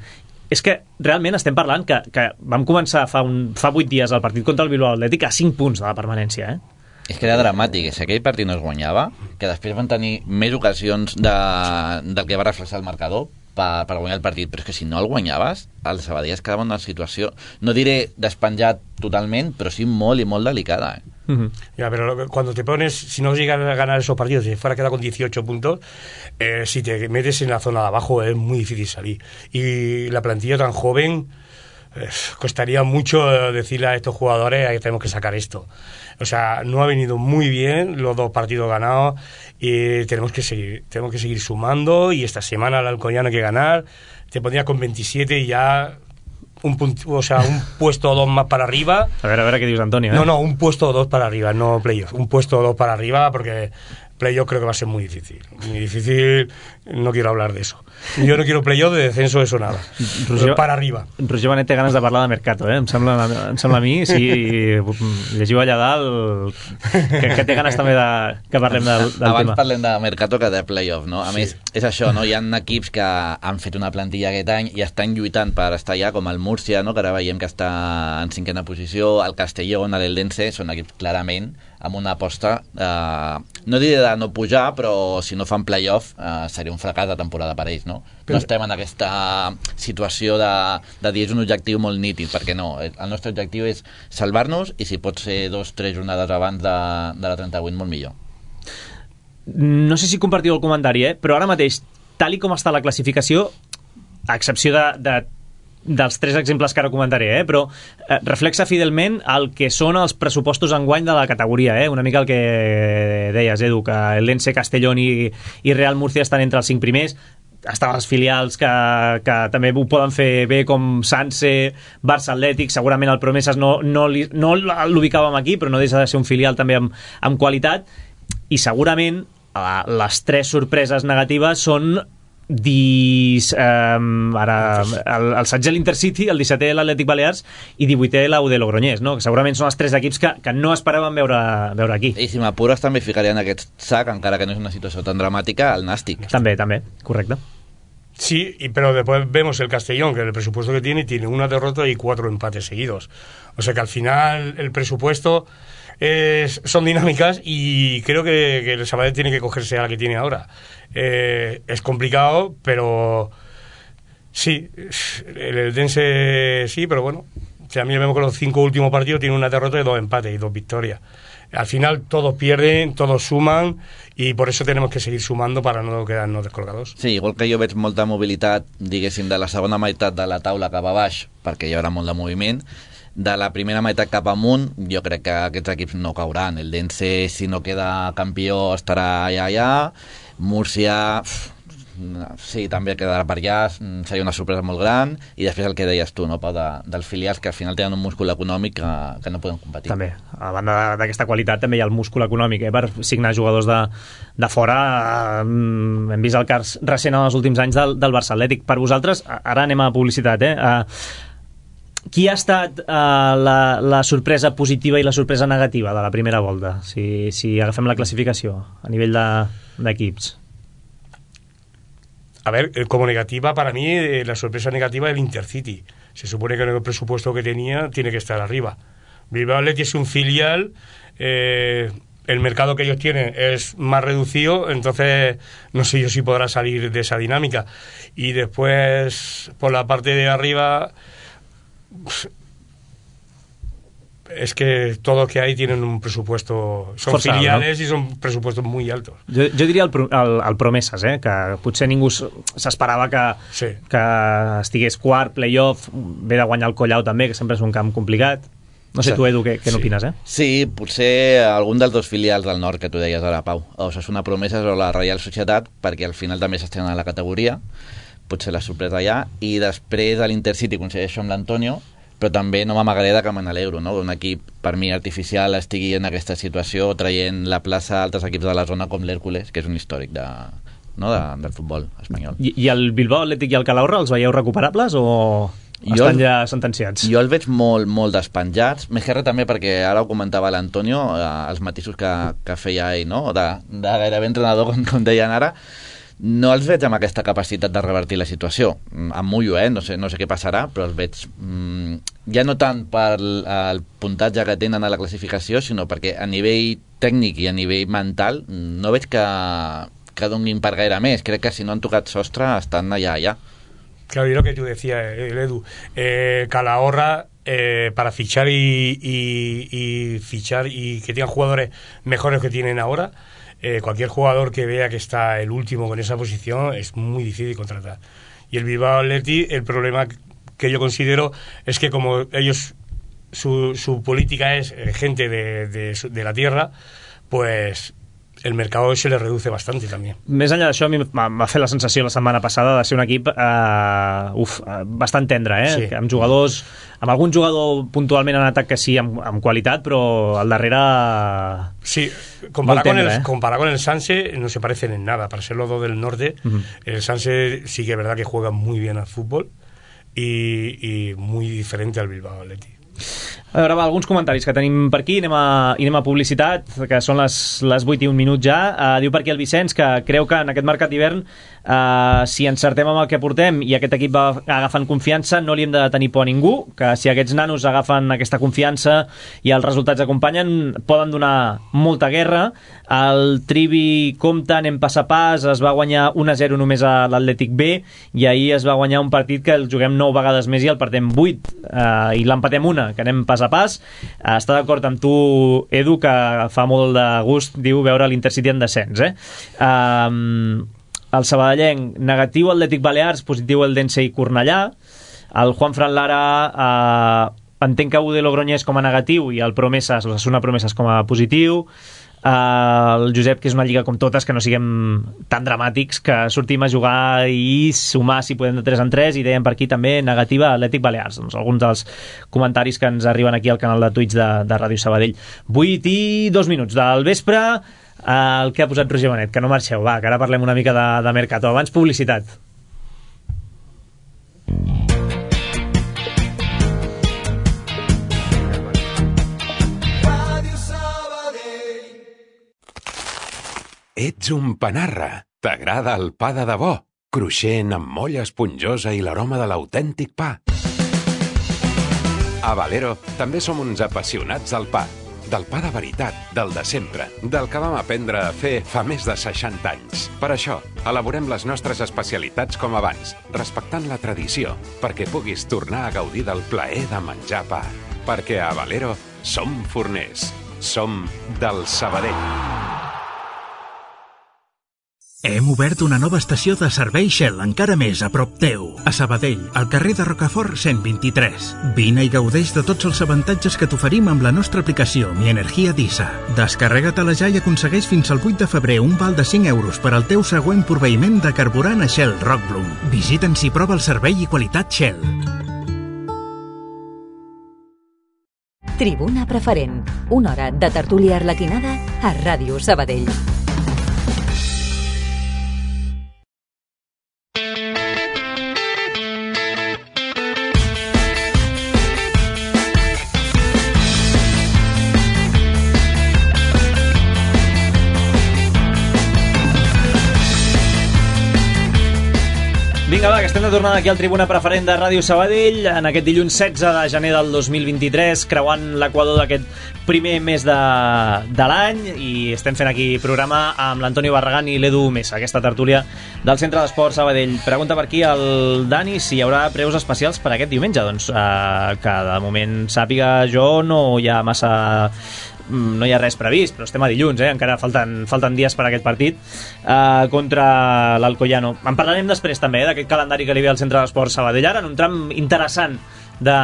És que realment estem parlant que, que vam començar fa, un, fa vuit dies el partit contra el Bilbao Atlètic a cinc punts de la permanència, eh? És que era dramàtic, si aquell partit no es guanyava, que després van tenir més ocasions de, del que va reflexar el marcador per, per guanyar el partit, però és que si no el guanyaves, el Sabadell es quedava en una situació, no diré despenjat totalment, però sí molt i molt delicada, eh? Uh-huh. Ya, pero cuando te pones, si no llegas a ganar esos partidos, si fuera quedado con dieciocho puntos, eh, si te metes en la zona de abajo es muy difícil salir. Y la plantilla tan joven, eh, costaría mucho decirle a estos jugadores que tenemos que sacar esto. O sea, no ha venido muy bien los dos partidos ganados y tenemos que seguir, tenemos que seguir sumando, y esta semana el Alcoyano hay que ganar. Te pondría con veintisiete y ya un punto, o sea, un puesto o dos más para arriba. A ver, a ver, ¿qué dices, Antonio? ¿eh? No, no, un puesto o dos para arriba, no playoff. Un puesto o dos para arriba, porque playoff creo que va a ser muy difícil. Muy difícil, no quiero hablar de eso. Jo no quiero playoff, de descenso, eso nada. Roger, para arriba. Roger Benet té ganes de parlar de Mercato, eh? Em sembla, em sembla a mi, si llegiu allà dalt, que, que té ganes també de, que parlem del, del Abans tema. Abans parlem de Mercato que de playoff, no? A sí. més, és això, no? Hi ha equips que han fet una plantilla aquest any i estan lluitant per estar allà, com el Múrcia, no? Que ara veiem que està en cinquena posició, el Castellón, l'Eldense, són equips clarament amb una aposta, eh, no diré de no pujar, però si no fan playoff eh, seria un fracàs de temporada per ells, no? No estem en aquesta situació de, de dir és un objectiu molt nítid, perquè no, el nostre objectiu és salvar-nos, i si pot ser dos o tres jornades abans de, de la trenta-vuit, molt millor. No sé si compartiu el comentari, eh? Però ara mateix, tal i com està la classificació, a excepció de, de dels tres exemples que ara comentaré, eh? Però eh, reflexa fidelment el que són els pressupostos enguany de la categoria, eh? Una mica el que deies, Edu, que el Lense, Castellón i, i Real Murcia estan entre els cinc primers. Estan els filials que, que també ho poden fer bé, com Sanse, Barça Atlètic. Segurament el Promeses no, no, li, no l'ubicàvem aquí, però no deixa de ser un filial també amb, amb qualitat. I segurament les tres sorpreses negatives són dis, eh, ara, el, el setze l'Intercity, el dissetè l'Atlètic Balears i divuitè la U D Logroñés, no? Que segurament són els tres equips que, que no esperaven veure, veure aquí. I si m'apures també ficaria en aquest sac, encara que no és una situació tan dramàtica, el Nàstic. També, també, correcte. Sí, y, pero después vemos el Castellón, que el presupuesto que tiene, tiene una derrota y cuatro empates seguidos. O sea que al final el presupuesto es, son dinámicas, y creo que, que el Sabadell tiene que cogerse a la que tiene ahora. Eh, es complicado, pero sí, el Eldense sí, pero bueno, si a mí vemos que los cinco últimos partidos tienen una derrota y dos empates y dos victorias. Al final todos pierden, todos suman, i per això tenim que seguir sumando para no quedar-nos descolgados. Sí, igual que jo veig molta mobilitat, diguéssim, de la segona meitat de la taula cap a baix, perquè hi haurà molt de moviment. De la primera meitat cap amunt, jo crec que aquests equips no cauran. El Dense, si no queda campió, estarà allà, allà. Múrcia, sí, també quedarà per allà, seria una sorpresa molt gran. I després el que deies tu, no, Pau, de, dels filials que al final tenen un múscul econòmic que, que no poden competir. També, a banda d'aquesta qualitat també hi ha el múscul econòmic, eh, per signar jugadors de, de fora. Um, hem vist el cas recent en els últims anys del, del Barça Atlètic. Per vosaltres, ara anem a publicitat, eh? Uh, qui ha estat uh, la, la sorpresa positiva i la sorpresa negativa de la primera volta, si, si agafem la classificació a nivell d'equips? De, A ver, como negativa, para mí, eh, la sorpresa negativa es el Intercity. Se supone que con el presupuesto que tenía tiene que estar arriba. Bilbao Athletic es un filial, eh, el mercado que ellos tienen es más reducido, entonces no sé yo si podrá salir de esa dinámica. Y después, por la parte de arriba, es que todos los que hay tienen un presupuesto, son Forçado, filiales, no? Y son presupuestos muy altos. Jo, jo diria el, el, el Promeses, eh? Que potser ningú s'esperava que, sí. que estigués quart, playoff, ve de guanyar el Collau també, que sempre és un camp complicat. No sé tu, Edu, què, què sí. n'opines, eh? Sí, potser algun dels dos filials del nord que tu deies ara, Pau, o Osasuna Promeses o la Reial Societat, perquè al final també s'estrena a la categoria, potser la sorpresa allà, i després a l'Intercity coincideixo amb l'Antonio, però també no m'amagaré de que me n'alegro, no? Un equip, per mi, artificial estigui en aquesta situació, traient la plaça a altres equips de la zona com l'Hèrcules, que és un històric de, no, de, del futbol espanyol. I, I el Bilbao Atlètic i el Calahorra els veieu recuperables o estan el, ja sentenciats? Jo els veig molt, molt despenjats, més que res també perquè ara ho comentava l'Antonio, eh, els matisos que, que feia ell, no? de, de gairebé entrenador, com, com deien ara. No els veig amb aquesta capacitat de revertir la situació. Em mullo, eh? No sé, no sé què passarà, però els veig mm, ja no tant per el puntatge que tenen a la classificació, sinó perquè a nivell tècnic i a nivell mental no veig que, que donin per gaire més. Crec que si no han tocat sostre estan allà, allà. Claro, y lo que tú decías, Edu, eh, Calahorra, eh, para fichar y, y, y fichar y que tengan jugadores mejores que tienen ahora, Eh, cualquier jugador que vea que está el último con esa posición es muy difícil contratar. Y el Bilbao Athletic, el problema que yo considero es que como ellos su, su política es eh, gente de, de, de la tierra, pues el mercado se les reduce bastante també. Més enllà d'això, a mi m'ha fet la sensació la setmana passada de ser un equip eh, uf, bastant tendre, eh? Sí. Amb jugadors, amb algun jugador puntualment en atac que sí, amb, amb qualitat, però al darrere... Sí, comparado con, tendre, el, eh? comparado con el Sanse no se parecen en nada. Para ser los dos del norte, uh-huh. El Sanse sí que es verdad que juega muy bien al fútbol y, y muy diferente al Bilbao Athletic. A veure, va, alguns comentaris que tenim per aquí, anem a, i anem a publicitat, que són les, les vuit i un minut ja. Uh, diu per aquí el Vicenç que creu que en aquest mercat d'hivern, uh, si encertem amb el que portem i aquest equip va agafant confiança, no li hem de tenir por a ningú, que si aquests nanos agafen aquesta confiança i els resultats acompanyen, poden donar molta guerra. El Trivi compta, anem pas a pas, es va guanyar un a zero només a l'Atlètic B i ahir es va guanyar un partit que el juguem nou vegades més i el partem vuit, uh, i l'empatem una, que anem pas a pas. Està d'acord amb tu, Edu, que fa molt de gust, diu, veure l'Intercity en descens, eh? Um, el sabadellenc, negatiu Atlètic Balears, positiu el Dense i Cornellà. El Juan Fran Lara uh, entenc que Ude Logroñés com a negatiu i el Promeses, l'Osasuna Promeses com a positiu. Uh, el Josep, que és una lliga com totes, que no siguem tan dramàtics, que sortim a jugar i sumar si podem de tres en tres, i deien per aquí també negativa Atlètic Balears. Doncs alguns dels comentaris que ens arriben aquí al canal de Twitch de, de Ràdio Sabadell. vuit i dos minuts del vespre, uh, el que ha posat Roger Benet, que no marxeu, va, que ara parlem una mica de, de Mercato. Abans publicitat. Ets un panarra. T'agrada el pa de debò, cruixent amb molla esponjosa i l'aroma de l'autèntic pa. A Valero també som uns apassionats del pa. Del pa de veritat, del de sempre, del que vam aprendre a fer fa més de seixanta anys. Per això, elaborem les nostres especialitats com abans, respectant la tradició, perquè puguis tornar a gaudir del plaer de menjar pa. Perquè a Valero som forners. Som del Sabadell. Hem obert una nova estació de servei Shell encara més a prop teu. A Sabadell, al carrer de Rocafort cent vint-i-tres. Vine i gaudeix de tots els avantatges que t'oferim amb la nostra aplicació Mi Energia Disa. Descarrega-te-la ja i aconsegueix fins al vuit de febrer un val de cinc euros per al teu següent proveïment de carburant a Shell Rockbloom. Visita'ns i prova el servei i qualitat Shell. Tribuna Preferent. Una hora de tertúlia arlequinada a Ràdio Sabadell. Vinga, va, que estem de tornada aquí al Tribuna Preferent de Ràdio Sabadell en aquest dilluns setze de gener del dos mil vint-i-tres, creuant l'equador d'aquest primer mes de, de l'any, i estem fent aquí programa amb l'Antonio Barragán i l'Edu Mesa, aquesta tertúlia del Centre d'Esport Sabadell. Pregunta per aquí el Dani si hi haurà preus especials per aquest diumenge. Doncs eh, que de moment sàpiga jo no hi ha massa... no hi ha res previst, però estem a dilluns, eh? Encara falten, falten dies per a aquest partit uh, contra l'Alcoyano. En parlarem després també, eh, d'aquest calendari que li ve al Centre d'Esport Sabadell, ara en un tram interessant de,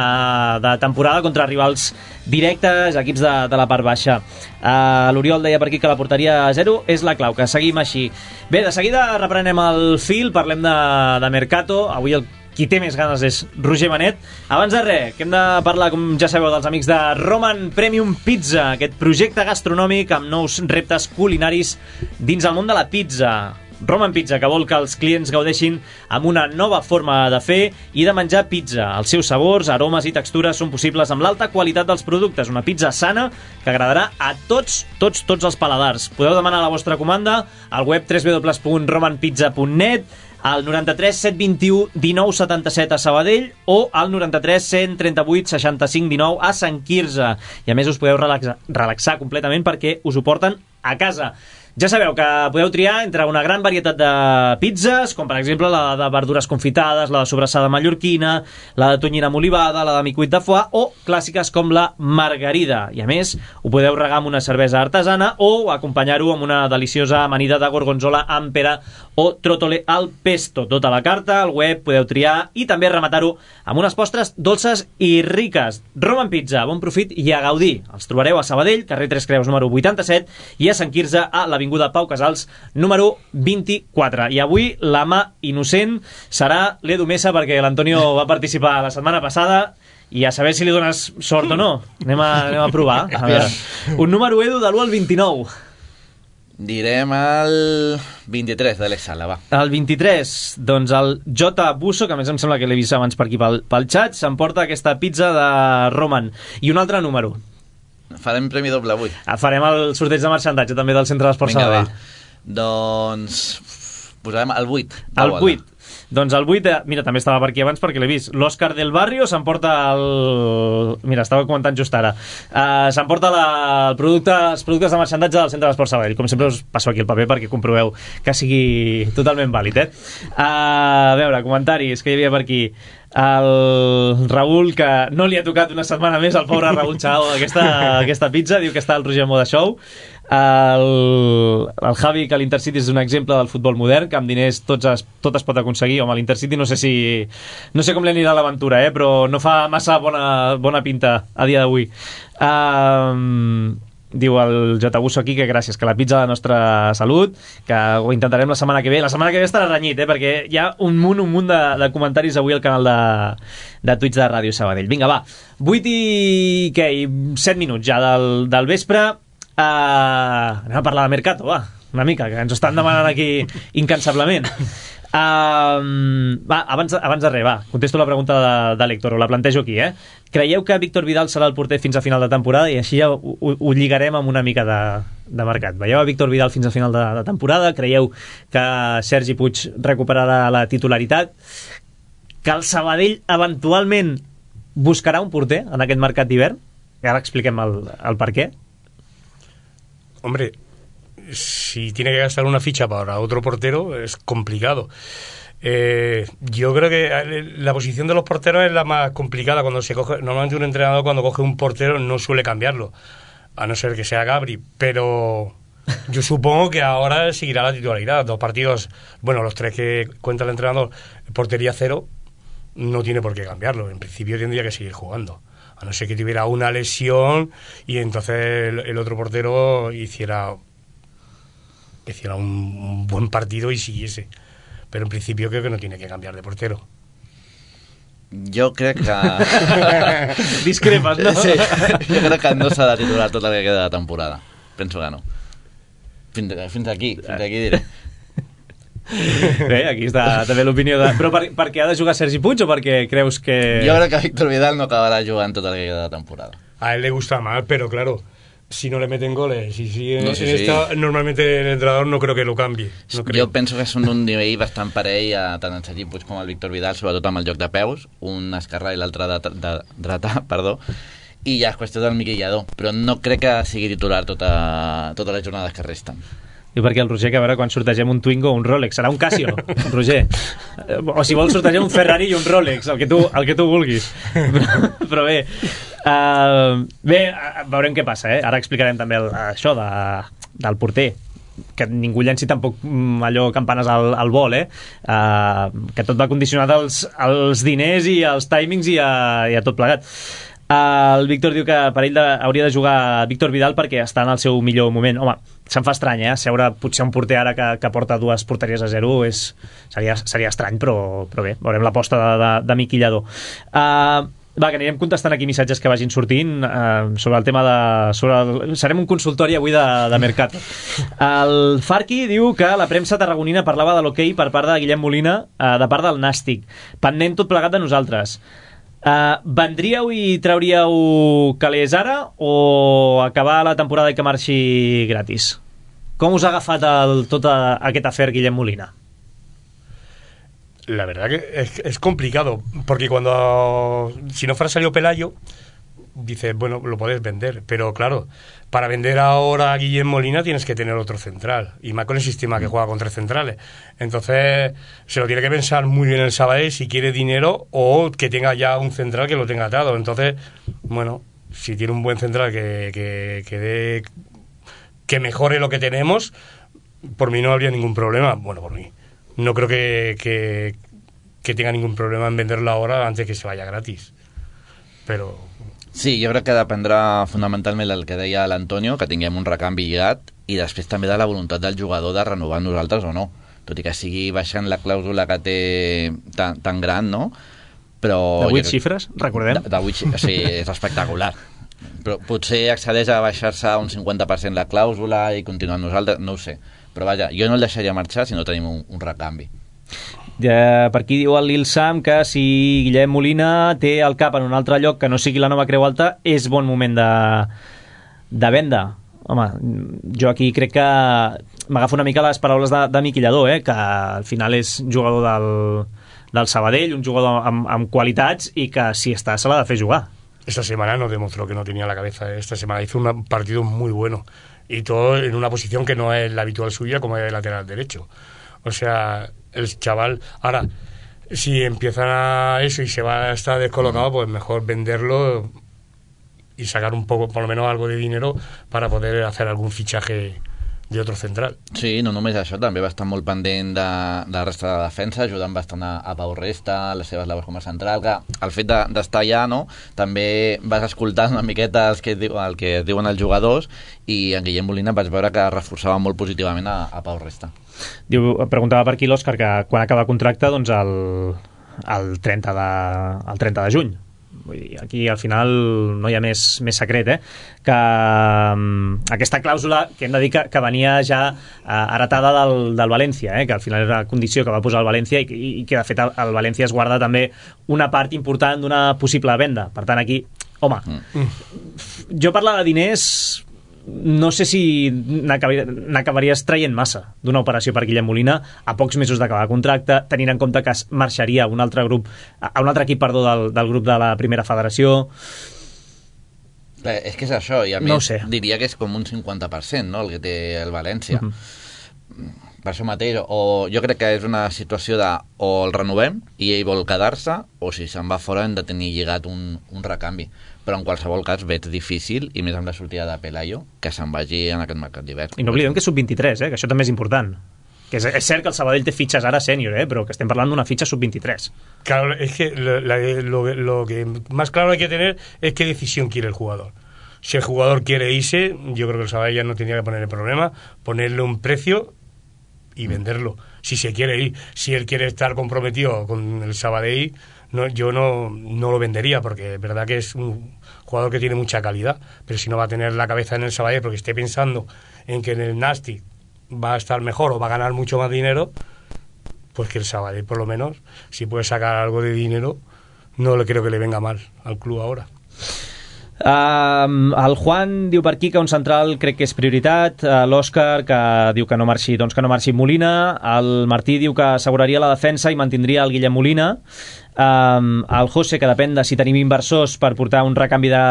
de temporada contra rivals directes, equips de, de la part baixa. Uh, L'Oriol deia per aquí que la porteria a zero és la clau, que seguim així. Bé, de seguida reprenem el fil, parlem de, de Mercato. Avui el qui té més ganes és Roger Benet. Abans de res, que hem de parlar, com ja sabeu, dels amics de Roman Premium Pizza, aquest projecte gastronòmic amb nous reptes culinaris dins el món de la pizza. Roman Pizza, que vol que els clients gaudeixin amb una nova forma de fer i de menjar pizza. Els seus sabors, aromes i textures són possibles amb l'alta qualitat dels productes. Una pizza sana que agradarà a tots, tots, tots els paladars. Podeu demanar la vostra comanda al web w w w punt roman pizza punt net, al noranta-tres set vint-i-u dinou setanta-set a Sabadell o al noranta-tres cent trenta-vuit seixanta-cinc dinou a Sant Quirze. I a més us podeu relaxar, relaxar completament perquè us ho porten a casa. Ja sabeu que podeu triar entre una gran varietat de pizzas, com per exemple la de verdures confitades, la de sobrassada mallorquina, la de tonyina amb olivada, la de micuit de foie o clàssiques com la margarida. I a més, ho podeu regar amb una cervesa artesana o acompanyar-ho amb una deliciosa amanida de gorgonzola amb pera o tròtole al pesto. Tota la carta, al web, podeu triar i també rematar-ho amb unes postres dolces i riques. Roman Pizza, bon profit i a gaudir. Els trobareu a Sabadell, carrer Tres Creus número vuitanta-set, i a Sant Quirze, a l'Avinguda Pau Casals número vint-i-quatre. I avui la mà innocent serà l'Edu Mesa, perquè l'Antonio va participar la setmana passada i a saber si li dones sort o no. Anem a, anem a provar. A veure. Un número, Edu, de l'u al vint-i-nou. Direm el vint-i-tres de l'Alex Sala, va. El vint-i-tres, doncs el J. Busso, que a més em sembla que l'he vist abans per aquí pel, pel xat, s'emporta aquesta pizza de Roman. I un altre número. Farem premi doble avui. Farem el sorteig de marxandatge també del Centre d'Esports Sabadell. Doncs posarem el vuit. El vuit. Doncs el vuit, mira, també estava per aquí abans perquè l'he vist. L'Òscar del Barrio s'emporta el... Mira, estava comentant just ara. Uh, s'emporta la... el producte, els productes de marxandatge del Centre d'Esports Sabadell. Com sempre us passo aquí el paper perquè comproveu que sigui totalment vàlid, eh? Uh, a veure, comentaris que hi havia per aquí. El Raül, que no li ha tocat una setmana més al pobre Raül Chao aquesta, aquesta pizza, diu que està al Roger Moda Show. El, el Javi, que l'Intercity és un exemple del futbol modern, que amb diners tots es, tot es pot aconseguir. Home, l'Intercity no sé si no sé com li anirà l'aventura, eh? Però no fa massa bona, bona pinta a dia d'avui. um, Diu el J. Busso aquí que gràcies, que la pizza de la nostra salut, que ho intentarem la setmana que ve. La setmana que ve estarà renyit, eh? Perquè hi ha un munt, un munt de, de comentaris avui al canal de, de Twitch de Ràdio Sabadell. Vinga, va, vuit i... què? I set minuts ja del, del vespre. Uh, anem a parlar de Mercato, va, una mica, que ens estan demanant aquí incansablement. Uh, va, abans, abans de res, va, contesto la pregunta de, de l'Héctor, la plantejo aquí, eh? Creieu que Víctor Vidal serà el porter fins a final de temporada? I així ja ho, ho, ho lligarem amb una mica de, de mercat. Veieu a Víctor Vidal fins a final de, de temporada? Creieu que Sergi Puig recuperarà la titularitat? Que el Sabadell eventualment buscarà un porter en aquest mercat d'hivern? I ara expliquem el, el per què. Hombre, si tiene que gastar una ficha para otro portero es complicado. Eh, yo creo que la posición de los porteros es la más complicada cuando se coge. Normalmente un entrenador cuando coge un portero no suele cambiarlo, a no ser que sea Gabri, pero yo supongo que ahora seguirá la titularidad. Dos partidos, bueno, los tres que cuenta el entrenador, portería cero, no tiene por qué cambiarlo. En principio tendría que seguir jugando, a no ser que tuviera una lesión y entonces el, el otro portero hiciera hiciera un, un buen partido y siguiese. Pero en principio creo que no tiene que cambiar de portero. Jo crec que... Discrepes, no? Sí, jo crec que no s'ha de titular tota la que queda de temporada. Penso que no. Fins, fins aquí, fins aquí diré. Bé, aquí està també l'opinió de... Però per, per què ha de jugar Sergi Puig o perquè creus que... Jo crec que Víctor Vidal no acabarà jugant tota la que queda de temporada. A él le gusta más, pero claro, si no le meten goles y si no, en, sí, en sí. Esta, normalmente el entrenador no creo que lo cambie. No creo. Jo penso que són un nivell bastant parell a tant en Sergi Puig com el Víctor Vidal, sobretot amb el joc de peus, un esquerrà i l'altre de, de dretà, perdó, i ja és qüestió del Miquel Lladó, però no crec que sigui titular tota, totes les jornades que resten. I perquè el Roger, que a veure, quan sortegem un Twingo o un Rolex, serà un Casio, Roger. O si vols sortegem un Ferrari i un Rolex, el que tu, el que tu vulguis. Però, però bé, uh, bé, veurem què passa, eh? Ara explicarem també el, això de, del porter. que ningú llenci tampoc allò campanes al, al vol, eh? Uh, que tot va condicionat als, als diners i als timings i a, i a tot plegat. Uh, el Víctor diu que per ell de, hauria de jugar Víctor Vidal perquè està en el seu millor moment. Home, se'm fa estrany, eh? Seure potser un porter ara que, que porta dues porteries a zero és, seria, seria estrany, però, però bé, veurem l'aposta de, de, de Miqui Lladó. Uh, Va, que anirem contestant aquí missatges que vagin sortint eh, sobre el tema de... Sobre el, serem un consultori avui de, de Mercat. El Farqui diu que la premsa tarragonina parlava de l'hoquei per part de Guillem Molina, eh, de part del Nàstic. Pendent tot plegat de nosaltres. Eh, vendríeu i trauríeu calés ara o acabar la temporada i que marxi gratis? Com us ha agafat el, tot a, aquest afer Guillem Molina? La verdad que es, es complicado, porque cuando, si no fuera salido Pelayo, dices, bueno, lo puedes vender, pero claro, para vender ahora a Guillem Molina tienes que tener otro central, y más con el sistema que juega con tres centrales. Entonces, se lo tiene que pensar muy bien el Sabadell si quiere dinero o que tenga ya un central que lo tenga atado. Entonces, bueno, si tiene un buen central que, que, que, dé, que mejore lo que tenemos, por mí no habría ningún problema. Bueno, por mí. No creo que, que, que tenga ningún problema en venderlo ahora antes que se vaya gratis. Però... Sí, jo crec que dependrà fonamentalment del que deia l'Antonio, que tinguem un recanvi lligat, i després també de la voluntat del jugador de renovar nosaltres o no. Tot i que sigui baixant la clàusula que té tan, tan gran, no? Però... De vuit xifres, recordem? De, de vuit xifres, sí, és espectacular. Però potser accedeix a baixar-se un cinquanta per cent la clàusula i continuar nosaltres, no ho sé. Però vaja, jo no el deixaria marxar si no tenim un, un recanvi. Ja, per aquí diu el Lil Sam que si Guillem Molina té el cap en un altre lloc que no sigui la nova Creu Alta, és bon moment de, de venda. Home, jo aquí crec que m'agafo una mica les paraules de, de Miqui Lladó, eh, que al final és jugador del, del Sabadell, un jugador amb, amb qualitats i que si està se l'ha de fer jugar. Esta semana no demostró que no tenía la cabeza. Esta semana hizo un partido muy bueno. Y todo en una posición que no es la habitual suya, como es de lateral derecho. O sea, el chaval... Ahora, si empiezan a eso y se va a estar descolocado, pues mejor venderlo y sacar un poco, por lo menos algo de dinero para poder hacer algún fichaje de otro central. Sí, no només això, també va estar molt pendent de, de la resta de la defensa, ajudant bastant a, a Pau Resta, a les seves labors com a central, que el fet d'estar de, allà, no, també vas escoltant una miqueta el que, el que diuen els jugadors, i en Guillem Molina vaig veure que reforçava molt positivament a, a Pau Resta. Diu, preguntava per aquí l'Òscar que quan acaba el contracte, doncs el, el, trenta de, el trenta de juny. Vull dir, aquí al final no hi ha més, més secret, eh? Que um, aquesta clàusula que hem de dir que, que venia ja uh, heretada del, del València, eh? Que al final era la condició que va posar el València i, i, i que de fet el, el València es guarda també una part important d'una possible venda. Per tant aquí, home, mm. jo parlar de diners no sé si n'acabaries traient massa d'una operació per Guillem Molina a pocs mesos d'acabar el contracte, tenint en compte que es marxaria a un altre grup, a un altre equip, perdó, del, del grup de la primera federació. Eh, és que és això, i a no més diria que és com un cinquanta per cent, no?, el que té el València. Uh -huh. Per això mateix, o jo crec que és una situació de o el renovem i ell vol quedar-se, o si se'n va fora hem de tenir lligat un, un recanvi. Però en qualsevol cas veig difícil, i més amb la sortida de Pelayo, que se'n vagi en aquest mercat d'hivern. I no oblidem que és sub vint-i-tres, eh? Que això també és important. Que és, és cert que el Sabadell té fitxes ara sènior, eh? Però que estem parlant d'una fitxa sub vint-i-tres. Claro, es que lo, la, lo, lo que más claro hay que tener es qué decisión quiere el jugador. Si el jugador quiere irse, yo creo que el Sabadell ya no tendría que poner el problema, ponerle un precio y venderlo. Si se quiere ir, si él quiere estar comprometido con el Sabadell, no, yo no, no lo vendería, porque es verdad que es un jugador que tiene mucha calidad, pero si no va a tener la cabeza en el Sabadell porque esté pensando en que en el Nàstic va a estar mejor o va a ganar mucho más dinero, pues que el Sabadell por lo menos, si puede sacar algo de dinero, no le creo que le venga mal al club ahora. Uh, el Juan diu per aquí que un central crec que és prioritat, uh, l'Òscar que diu que no marxi, doncs que no marxi Molina, el Martí diu que asseguraria la defensa i mantindria el Guillem Molina, um, el José que depèn de si tenim inversors per portar un recanvi de,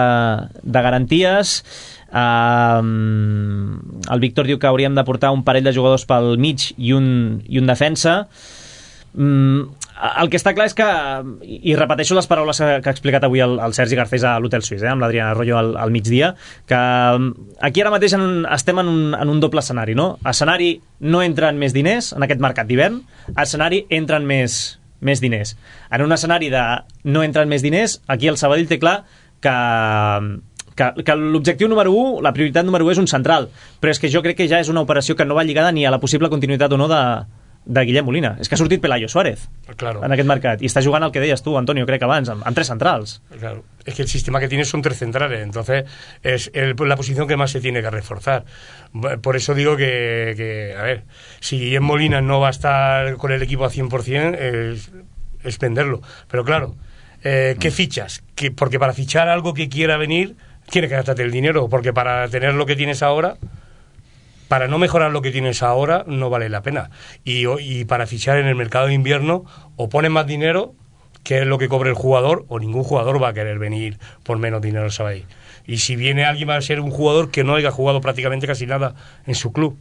de garanties, um, el Víctor diu que hauríem de portar un parell de jugadors pel mig i un, i un defensa. Um, el que està clar és que, i repeteixo les paraules que ha explicat avui el, el Sergi Garcés a l'Hotel Suís, eh, amb l'Adriana Arroyo al, al migdia, que aquí ara mateix en un, estem en un, en un doble escenari, no? Escenari no entren més diners en aquest mercat d'hivern, escenari entren més, més diners. En un escenari de no entren més diners, aquí el Sabadell té clar que... que, que l'objectiu número u, la prioritat número u és un central, però és que jo crec que ja és una operació que no va lligada ni a la possible continuïtat o no de, de Guillem Molina. És que ha sortit Pelayo Suárez claro. en aquest mercat, i està jugant el que deies tu, Antonio, crec abans, amb, amb tres centrals. Claro. Es que el sistema que tiene son tres centrales, entonces es el, la posición que más se tiene que reforzar. Por eso digo que, que a ver, si Guillem Molina no va a estar con el equipo a cien por cien, es, es venderlo. Pero claro, eh, ¿qué fichas? Que, porque para fichar algo que quiera venir, tienes que gastarte el dinero, porque para tener lo que tienes ahora, para no mejorar lo que tienes ahora, no vale la pena. Y, y para fichar en el mercado de invierno, o pones más dinero, que es lo que cobre el jugador, o ningún jugador va a querer venir por menos dinero al Sabadell. Y si viene alguien, va a ser un jugador que no haya jugado prácticamente casi nada en su club.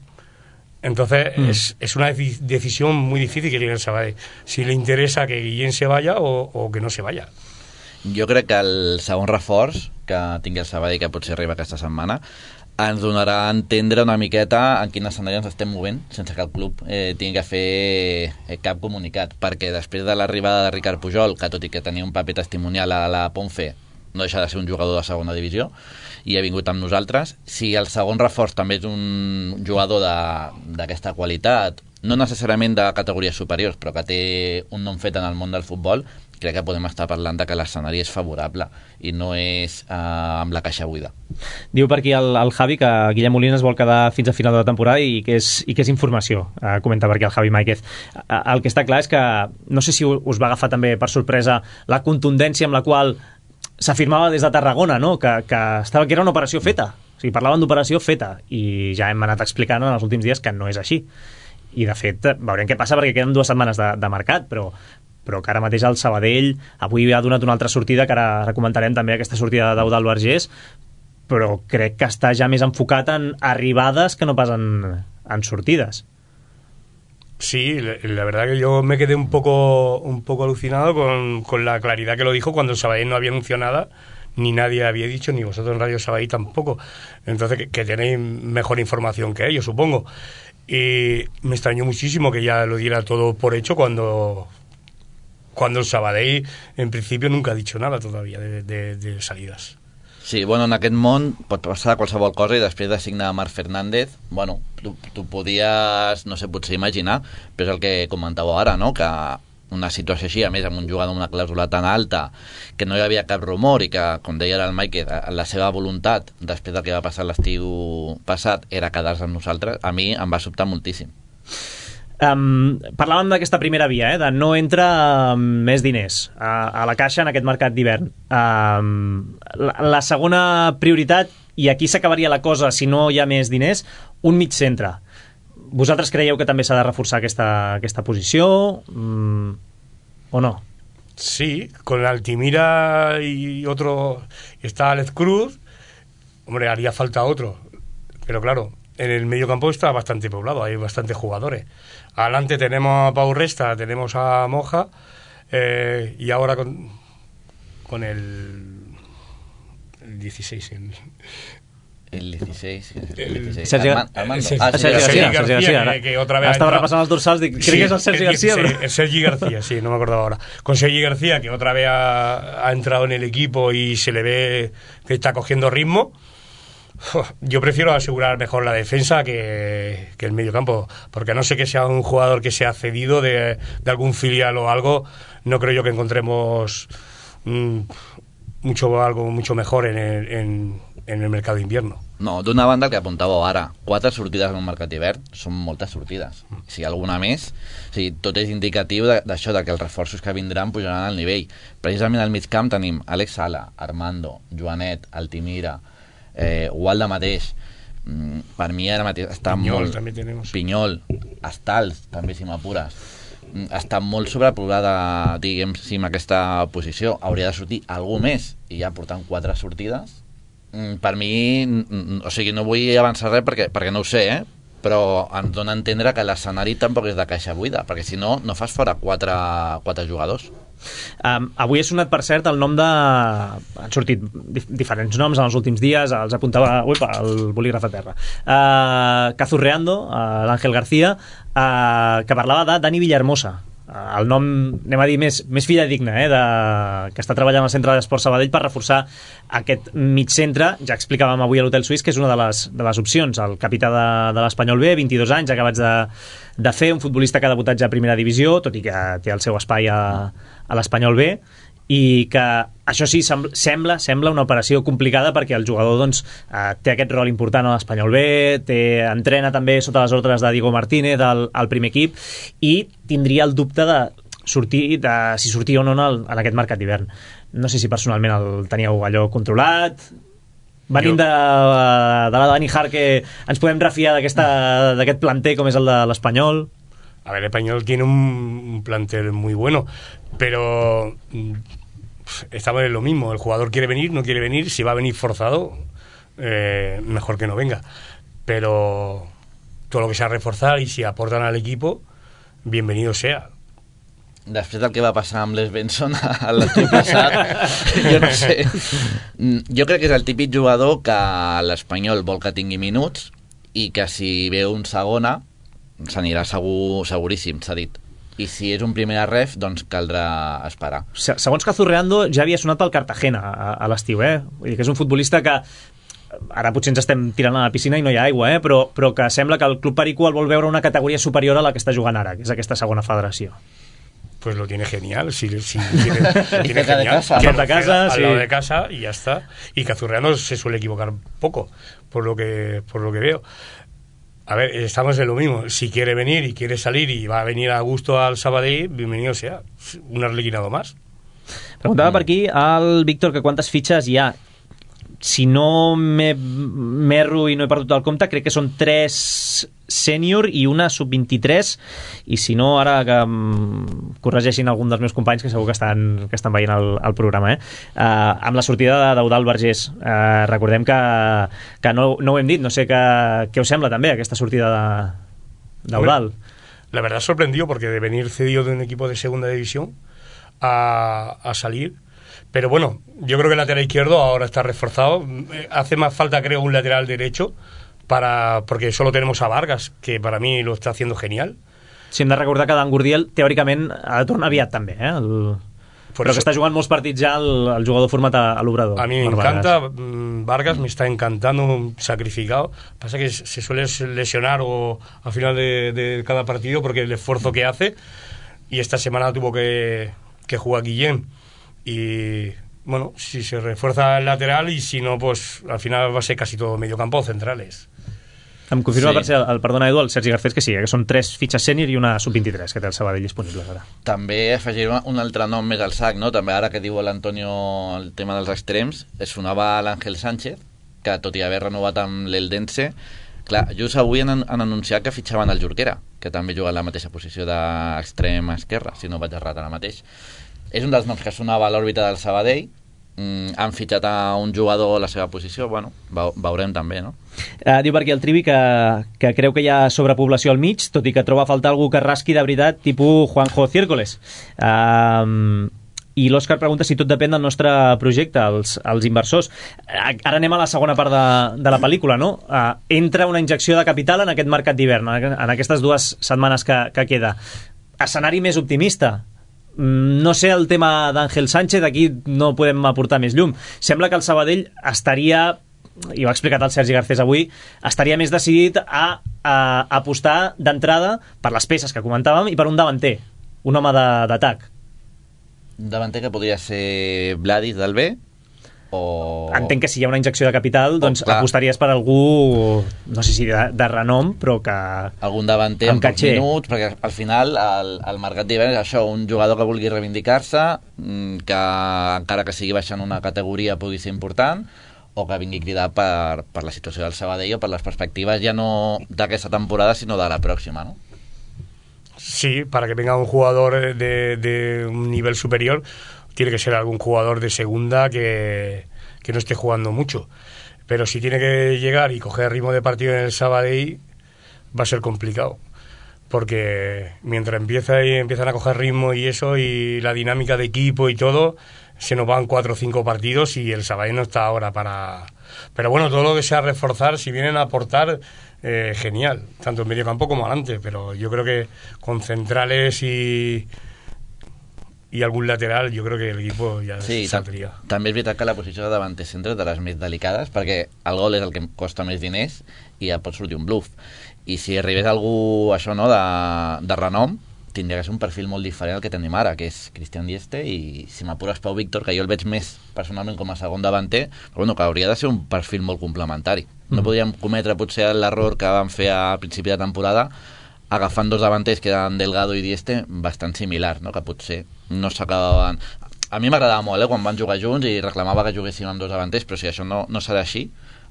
Entonces mm. es, es una decisión muy difícil que tiene el Sabadell. Si le interesa que Guillem se vaya o, o que no se vaya. Jo crec que el segon reforç que tingui el Sabadell, que potser arriba aquesta setmana, ens donarà a entendre una miqueta en quin escenari ens estem movent sense que el club eh, tingui que fer cap comunicat, perquè després de l'arribada de Ricard Pujol, que tot i que tenia un paper testimonial a la Ponfe, no deixa de ser un jugador de segona divisió i ha vingut amb nosaltres, si el segon reforç també és un jugador d'aquesta qualitat, no necessàriament de categories superiors, però que té un nom fet en el món del futbol, crec que podem estar parlant de que l'escenari és favorable i no és eh, amb la caixa buida. Diu per aquí el, el Javi que Guillem Molina es vol quedar fins a final de la temporada i que és, i que és informació, eh, comenta per aquí el Javi Máiquez. Eh, el que està clar és que no sé si us va agafar també per sorpresa la contundència amb la qual s'afirmava des de Tarragona, no? que, que, estava, que era una operació feta, o sigui, parlaven d'operació feta, i ja hem anat explicant en els últims dies que no és així. I de fet veurem què passa perquè queden dues setmanes de, de mercat, però però que ara mateix el Sabadell avui ha donat una altra sortida, que ara, ara comentarem també aquesta sortida d'Eudald Vergés, però crec que està ja més enfocat en arribades que no pas en, en sortides. Sí, la verdad que yo me quedé un poco un poco alucinado con, con la claridad que lo dijo cuando el Sabadell no había anunciado nada, ni nadie había dicho, ni vosotros en Radio Sabadell tampoco. Entonces que, que tenéis mejor información que ellos, supongo. Y me extrañó muchísimo que ya lo diera todo por hecho cuando... cuando el Sabadell en principio nunca ha dicho nada todavía de, de, de salidas. Sí, bueno, en aquest món pot passar qualsevol cosa i després de signar Marc Fernández, bueno, tu, tu podies, no sé, potser imaginar, però és el que comentàveu ara, no?, que una situació així, a més amb un jugador amb una clàusula tan alta, que no hi havia cap rumor i que, com deia el Mike, la seva voluntat després del que va passar l'estiu passat era quedar-se amb nosaltres, a mi em va sobtar moltíssim. Um, parlàvem d'aquesta primera via, eh, de no entra um, més diners a, a la caixa en aquest mercat d'hivern. Um, la, la segona prioritat, i aquí s'acabaria la cosa si no hi ha més diners, un mig centre. Vosaltres creieu que també s'ha de reforçar aquesta, aquesta posició um, o no? Sí, con Altimira y otro, y está Alex Cruz, hombre, haría falta otro, pero claro, en el medio campo está bastante poblado, hay bastantes jugadores. Adelante tenemos a Pau Resta, tenemos a Moja, eh, y ahora con, con el, el dieciséis. El, el dieciséis. El dieciséis. Sergi, Armando. Armando. Sergi, Ah, Sergi, Sergi García. Sergi García, García que, que otra vez estaba repasando los dorsals, creo sí, que es el Sergi García. El, Pero... el Sergi García, sí, no me acordaba ahora. Con Sergi García, que otra vez ha, ha entrado en el equipo y se le ve que está cogiendo ritmo. Yo prefiero asegurar mejor la defensa que, que el medio campo, porque no sé que sea un jugador que sea cedido de, de algún filial o algo, no creo yo que encontremos mmm, mucho algo mucho mejor en el, en, en el mercado de invierno. No, d'una banda el que apuntàveu ara, quatre sortides en un mercat d'hivern són moltes sortides. Si alguna més, o sigui, tot és indicatiu d'això, de que els reforços que vindran pujaran al nivell. Precisament al mig camp tenim Àlex Sala, Armando, Joanet, Altimira, eh, Gualda mateix, mm, per mi ara mateix està Pinyol, molt... també tenemos. Pinyol, Estals, també si m'apures, està molt sobrepoblada, diguem, si en aquesta posició hauria de sortir algú més, i ja portant quatre sortides, per mi, o sigui, no vull avançar res perquè, perquè no ho sé, eh? però ens dona a entendre que l'escenari tampoc és de caixa buida, perquè si no, no fas fora quatre, quatre jugadors. Um, avui ha sonat, per cert, el nom de... Han sortit dif diferents noms en els últims dies, els apuntava uipa, el bolígraf a terra. Uh, Cazurreando, uh, l'Àngel García, uh, que parlava de Dani Villahermosa. El nom, anem a dir, més, més fidedigne, eh, de, que està treballant al Centre d'Esports Sabadell per reforçar aquest mig centre. Ja explicàvem avui a l'Hotel Suís que és una de les, de les opcions. El capità de, de l'Espanyol B, vint-i-dos anys, acabats de, de fer, un futbolista que ha debutat ja a primera divisió, tot i que té el seu espai a, a l'Espanyol B, i que això sí, sembla sembla una operació complicada perquè el jugador doncs, eh, té aquest rol important a l'Espanyol B, té, entrena també sota les ordres de Diego Martínez al, al primer equip, i tindria el dubte de sortir, de si sortia o no en, en aquest mercat d'hivern. No sé si personalment el teníeu allò controlat. Venint de, de la Dani Hart, que ens podem refiar d'aquest planter com és el de l'Espanyol. A ver, el Español tiene un, un plantel muy bueno, pero estamos en lo mismo. El jugador quiere venir, no quiere venir. Si va a venir forzado, eh, mejor que no venga. Pero todo lo que sea reforzar y si aportan al equipo, bienvenido sea. Després del que va passar amb Les Benson a l'estiu passat, jo no sé. Jo crec que és el típic jugador que l'Espanyol vol que tingui minuts i que si ve un segona s'anirà segur, seguríssim, s'ha dit. I si és un primer ref, doncs caldrà esperar. Segons Cazurreando, ja havia sonat pel Cartagena a, a l'estiu, eh? Vull dir que és un futbolista que ara potser ens estem tirant a la piscina i no hi ha aigua, eh? però, però que sembla que el Club Perico el vol veure una categoria superior a la que està jugant ara, que és aquesta segona federació. Pues lo tiene genial, si, si tiene, lo tiene de genial, casa, que de casa, al sí. lado de casa y ya está. Y Cazurreano se suele equivocar poco, por lo que por lo que veo. A ver, estamos en lo mismo. Si quiere venir y quiere salir y va a venir a gusto al Sabadell, bienvenido sea. Un arlequinado más. Preguntava per aquí al Víctor que quantes fitxes hi ha. Si no m'erro i no he perdut el compte, crec que són tres sènior i una sub vint-i-tres, i si no, ara que um, corregeixin algun dels meus companys que segur que estan, que estan veient el, el programa, eh? Uh, amb la sortida d'Eudald Vergés, uh, recordem que, que no, no ho hem dit, no sé què, què us sembla també aquesta sortida d'Eudald. La verdad sorprendió porque de venir cedido de un equipo de segunda división a, a salir. Pero bueno, yo creo que el lateral izquierdo ahora está reforzado. Hace más falta, creo, un lateral derecho, para porque solo tenemos a Vargas, que para mí lo está haciendo genial. Si hem de recordar que Dan Gurdiel, teòricament, ha de tornar aviat també, eh? El... Però eso, que està jugant molts partits ja el, el jugador format a, a l'Obrador. A mí me encanta, Vargas. Vargas me está encantando, sacrificado. Pasa que se suele lesionar o al final de, de cada partido porque el esfuerzo que hace, y esta semana tuvo que, que jugar Guillén. Y bueno, si se refuerza el lateral y si no, pues al final va a ser casi todo medio campo centrales. Em confirma, Sí. per ser, el, perdona Edu, el Sergi Garcés, que sí, que són tres fitxes sènior i una sub vint-i-tres que té el Sabadell disponibles ara. També afegiré un altre nom més al sac, no? També ara que diu l'Antonio el tema dels extrems, es sonava l'Àngel Sánchez, que tot i haver renovat amb l'Eldense, clar, just avui han, han anunciat que fitxaven el Jorquera, que també juga en la mateixa posició d'extrem esquerra, si no vaig errat ara mateix. És un dels noms que sonava a l'òrbita del Sabadell. Mm, han fitxat a un jugador a la seva posició. Bueno, veurem també, no? Uh, diu per aquí el Trivi que, que creu que hi ha sobrepoblació al mig, tot i que troba a faltar algú que rasqui de veritat, tipus Juanjo Ciércoles. Uh, I l'Òscar pregunta si tot depèn del nostre projecte, els, els inversors. Ara anem a la segona part de, de la pel·lícula, no? Uh, entra una injecció de capital en aquest mercat d'hivern, en aquestes dues setmanes que, que queda. Escenari més optimista. No sé el tema d'Àngel Sánchez, aquí no podem aportar més llum. Sembla que el Sabadell estaria, i ho ha explicat el Sergi Garcés avui, estaria més decidit a, a apostar d'entrada per les peces que comentàvem i per un davanter, un home d'atac. Davanter que podria ser Vladis del B, o... Entenc que si hi ha una injecció de capital, doncs oh, apostaries per algú, no sé si de, de renom, però que... algun davanter amb pocs minuts, perquè al final el, el mercat d'hivern és això, un jugador que vulgui reivindicar-se, que encara que sigui baixant una categoria pugui ser important, o que vingui cridat per, per la situació del Sabadell o per les perspectives ja no d'aquesta temporada sinó de la pròxima, no? Sí, para que venga un jugador de, de un nivel superior tiene que ser algún jugador de segunda que, que no esté jugando mucho. Pero si tiene que llegar y coger ritmo de partido en el Sabadell, va a ser complicado. Porque mientras empieza y empiezan a coger ritmo y eso, y la dinámica de equipo y todo, se nos van cuatro o cinco partidos y el Sabadell no está ahora para... Pero bueno, todo lo que sea reforzar, si vienen a aportar, eh, genial, tanto en medio campo como adelante, pero yo creo que con centrales y... i algun lateral, jo crec que l'equip ja sí, saldria. També és veritat que la posició de davanter centre de les més delicades, perquè el gol és el que costa més diners i ja pot sortir un bluff. I si arribés algú, això, no, de, de renom, tindria que ser un perfil molt diferent al que tenim ara, que és Cristian Dieste i, si m'apures, Pau Víctor, que jo el veig més personalment com a segon davanter, però bueno, que hauria de ser un perfil molt complementari. No podríem cometre potser l'error que vam fer al principi de temporada agafant dos davanters que eren Delgado i Dieste bastant similar, no? Que potser no s'acabaven... A mi m'agradava molt, eh, quan van jugar junts i reclamava que juguéssim amb dos davanters, però si això no, no serà així,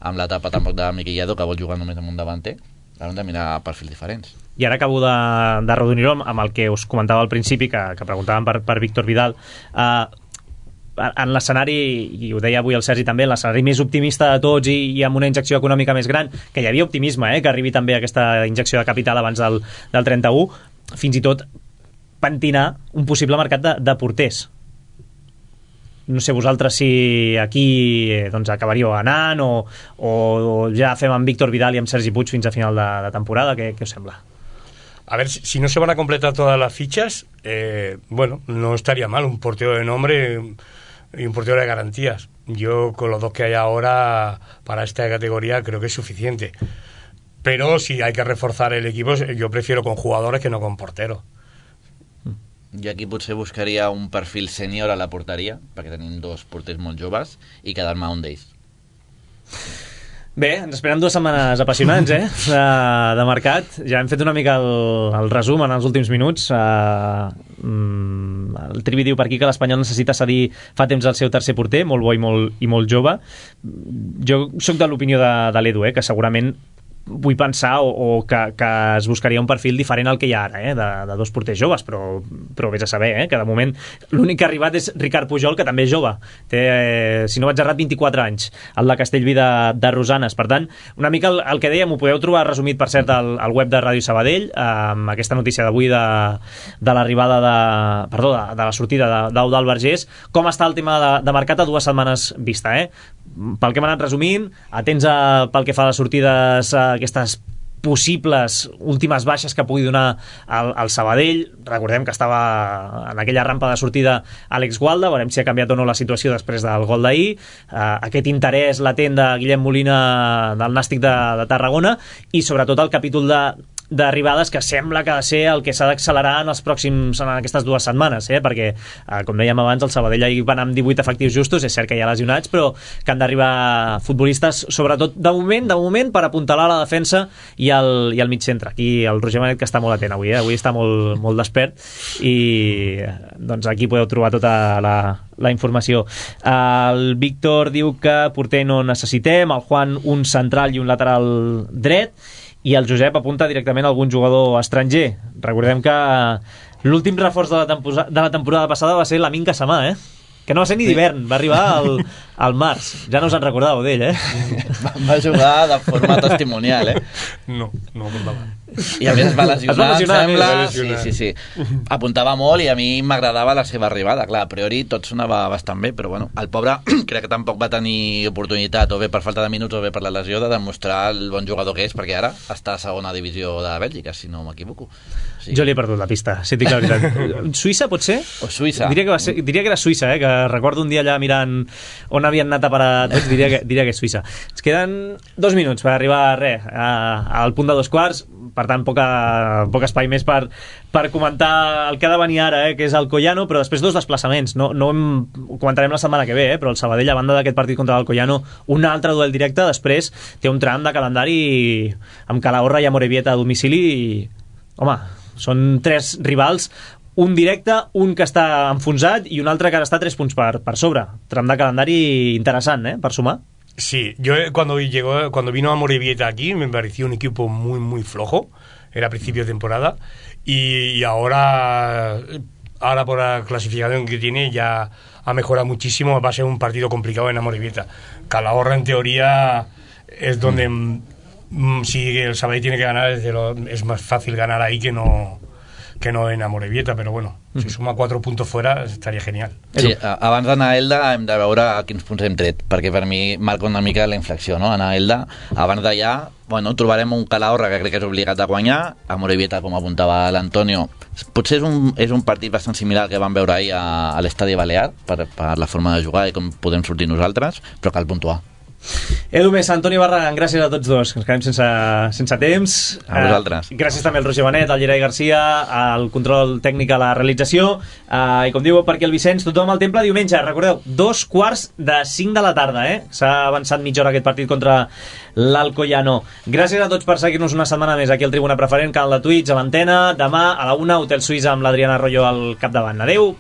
amb l'etapa tampoc de Miquel que vol jugar només amb un davanter, hem de mirar perfils diferents. I ara acabo de, de redonir-ho amb el que us comentava al principi, que, que preguntàvem per, per Víctor Vidal. Uh, en l'escenari, i ho deia avui el Sergi també, l'escenari més optimista de tots i, i amb una injecció econòmica més gran, que hi havia optimisme, eh, que arribi també aquesta injecció de capital abans del, del trenta-u, fins i tot pentinar un possible mercat de, de porters. No sé vosaltres si aquí eh, doncs acabaríeu anant o, o, o ja fem amb Víctor Vidal i amb Sergi Puig fins a final de, de temporada. Què, què us sembla? A ver, si, si no se van a completar todas las fichas, eh, bueno, no estaría mal un portero de nombre y un portero de garantías. Yo con los dos que hay ahora para esta categoría creo que es suficiente. Pero si hay que reforzar el equipo, yo prefiero con jugadores que no con porteros. Jo aquí potser buscaria un perfil sènior a la porteria, perquè tenim dos porters molt joves, i quedar-me un d'ells. Bé, ens esperem dues setmanes apassionants, eh? De, de mercat. Ja hem fet una mica el, el resum en els últims minuts. Uh, mm, el Trivi diu per aquí que l'Espanyol necessita cedir fa temps el seu tercer porter, molt bo i molt, i molt jove. Jo sóc de l'opinió de, de l'Edu, eh? Que segurament vull pensar o, o que, que es buscaria un perfil diferent al que hi ha ara, eh? de, de dos porters joves, però, però vés a saber, eh? Que de moment l'únic que ha arribat és Ricard Pujol, que també és jove, té, eh, si no vaig errat, vint-i-quatre anys, el de Castellví de, de Rosanes. Per tant, una mica el, el que dèiem ho podeu trobar resumit, per cert, al, al web de Ràdio Sabadell, amb aquesta notícia d'avui de, de l'arribada de, perdó, de, de la sortida d'Eudald Vergés. Com està el tema de, de mercat a dues setmanes vista, eh? Pel que hem anat resumint, atents a, pel que fa a les sortides, a aquestes possibles últimes baixes que pugui donar el, el Sabadell. Recordem que estava en aquella rampa de sortida Àlex Gualda, veurem si ha canviat o no la situació després del gol d'ahir. Uh, aquest interès latent de Guillem Molina del Nàstic de, de Tarragona, i sobretot el capítol de d'arribades que sembla que ha de ser el que s'ha d'accelerar en els pròxims, en aquestes dues setmanes, eh? Perquè, eh, com dèiem abans, el Sabadell ahir va anar amb divuit efectius justos, és cert que hi ha lesionats, però que han d'arribar futbolistes, sobretot de moment, de moment per apuntalar la defensa i el, i el mig centre. Aquí el Roger Manet, que està molt atent avui, eh? Avui està molt, molt despert, i doncs aquí podeu trobar tota la, la informació. El Víctor diu que porter no necessitem, el Juan un central i un lateral dret, i el Josep apunta directament a algun jugador estranger. Recordem que l'últim reforç de la, tempo- de la temporada passada va ser l'Amin Casamà, eh? Que no va ser ni d'hivern, va arribar al, al març. Ja no us en recordàveu d'ell, eh? Va, va jugar de forma testimonial, eh? No, no recordava. I a més es va lesionar, es va lesionar, em sembla. es va lesionar. Sí, sí, sí. Apuntava molt i a mi m'agradava la seva arribada. Clar, a priori tot sonava bastant bé, però bueno, el pobre crec que tampoc va tenir oportunitat, o bé per falta de minuts o bé per la lesió, de demostrar el bon jugador que és, perquè ara està a segona divisió de Bèlgica, si no m'equivoco. Sí. Jo li he perdut la pista, si et dic la veritat. Suïssa, pot ser? O Suïssa. Diria que, va ser, diria que era Suïssa, eh? Que recordo un dia allà mirant on havien anat a parar tots, diria que, diria que és Suïssa. Ens queden dos minuts per arribar a res, a, al punt de dos quarts, per tant poca, poc espai més per, per comentar el que ha de venir ara, eh? Que és el Collano, però després dos desplaçaments. No, no hem, ho comentarem la setmana que ve, eh? Però el Sabadell, a banda d'aquest partit contra el Collano, un altre duel directe, després té un tram de calendari amb Calahorra i Amorebieta a domicili i, home, són tres rivals, un directe, un que està enfonsat i un altre que ara està a tres punts per, per sobre. Tram de calendari interessant, eh? Per sumar. Sí, yo cuando llegó, cuando vino a Amorebieta aquí me pareció un equipo muy muy flojo, era a principio de temporada, y, y ahora ahora por la clasificación que tiene ya ha mejorado muchísimo. Va a ser un partido complicado en Amorebieta. Calahorra en teoría es donde si el Sabadell tiene que ganar, es, de lo, es más fácil ganar ahí que no, que no en Amorebieta, però bueno, mm. si suma quatre punts fora estaria genial. Sí, abans d'anar a Elda hem de veure a quins punts hem tret, perquè per mi marca una mica la inflexió, no? Anar a Elda, abans d'allà, bueno, trobarem un Calahorra que crec que és obligat a guanyar, a Amorebieta, com apuntava l'Antonio, potser és un, és un partit bastant similar al que vam veure ahir a, a l'Estadi Balear, per, per la forma de jugar i com podem sortir nosaltres, però cal puntuar. Edu Mesa, Antoni Barragán, gràcies a tots dos, que ens quedem sense, sense temps. A vosaltres. Uh, gràcies també al Roger Benet, al Gerai Garcia, al control tècnic, a la realització, uh, i com diu per aquí el Vicenç, tothom al Temple diumenge, recordeu, dos quarts de cinc de la tarda, eh? S'ha avançat mitja hora aquest partit contra l'Alcoyano. Gràcies a tots per seguir-nos una setmana més aquí al Tribuna Preferent, canal de Twitch, a l'Antena. Demà a la una, Hotel Suïssa amb l'Adriana Arroyo al capdavant. Adeu!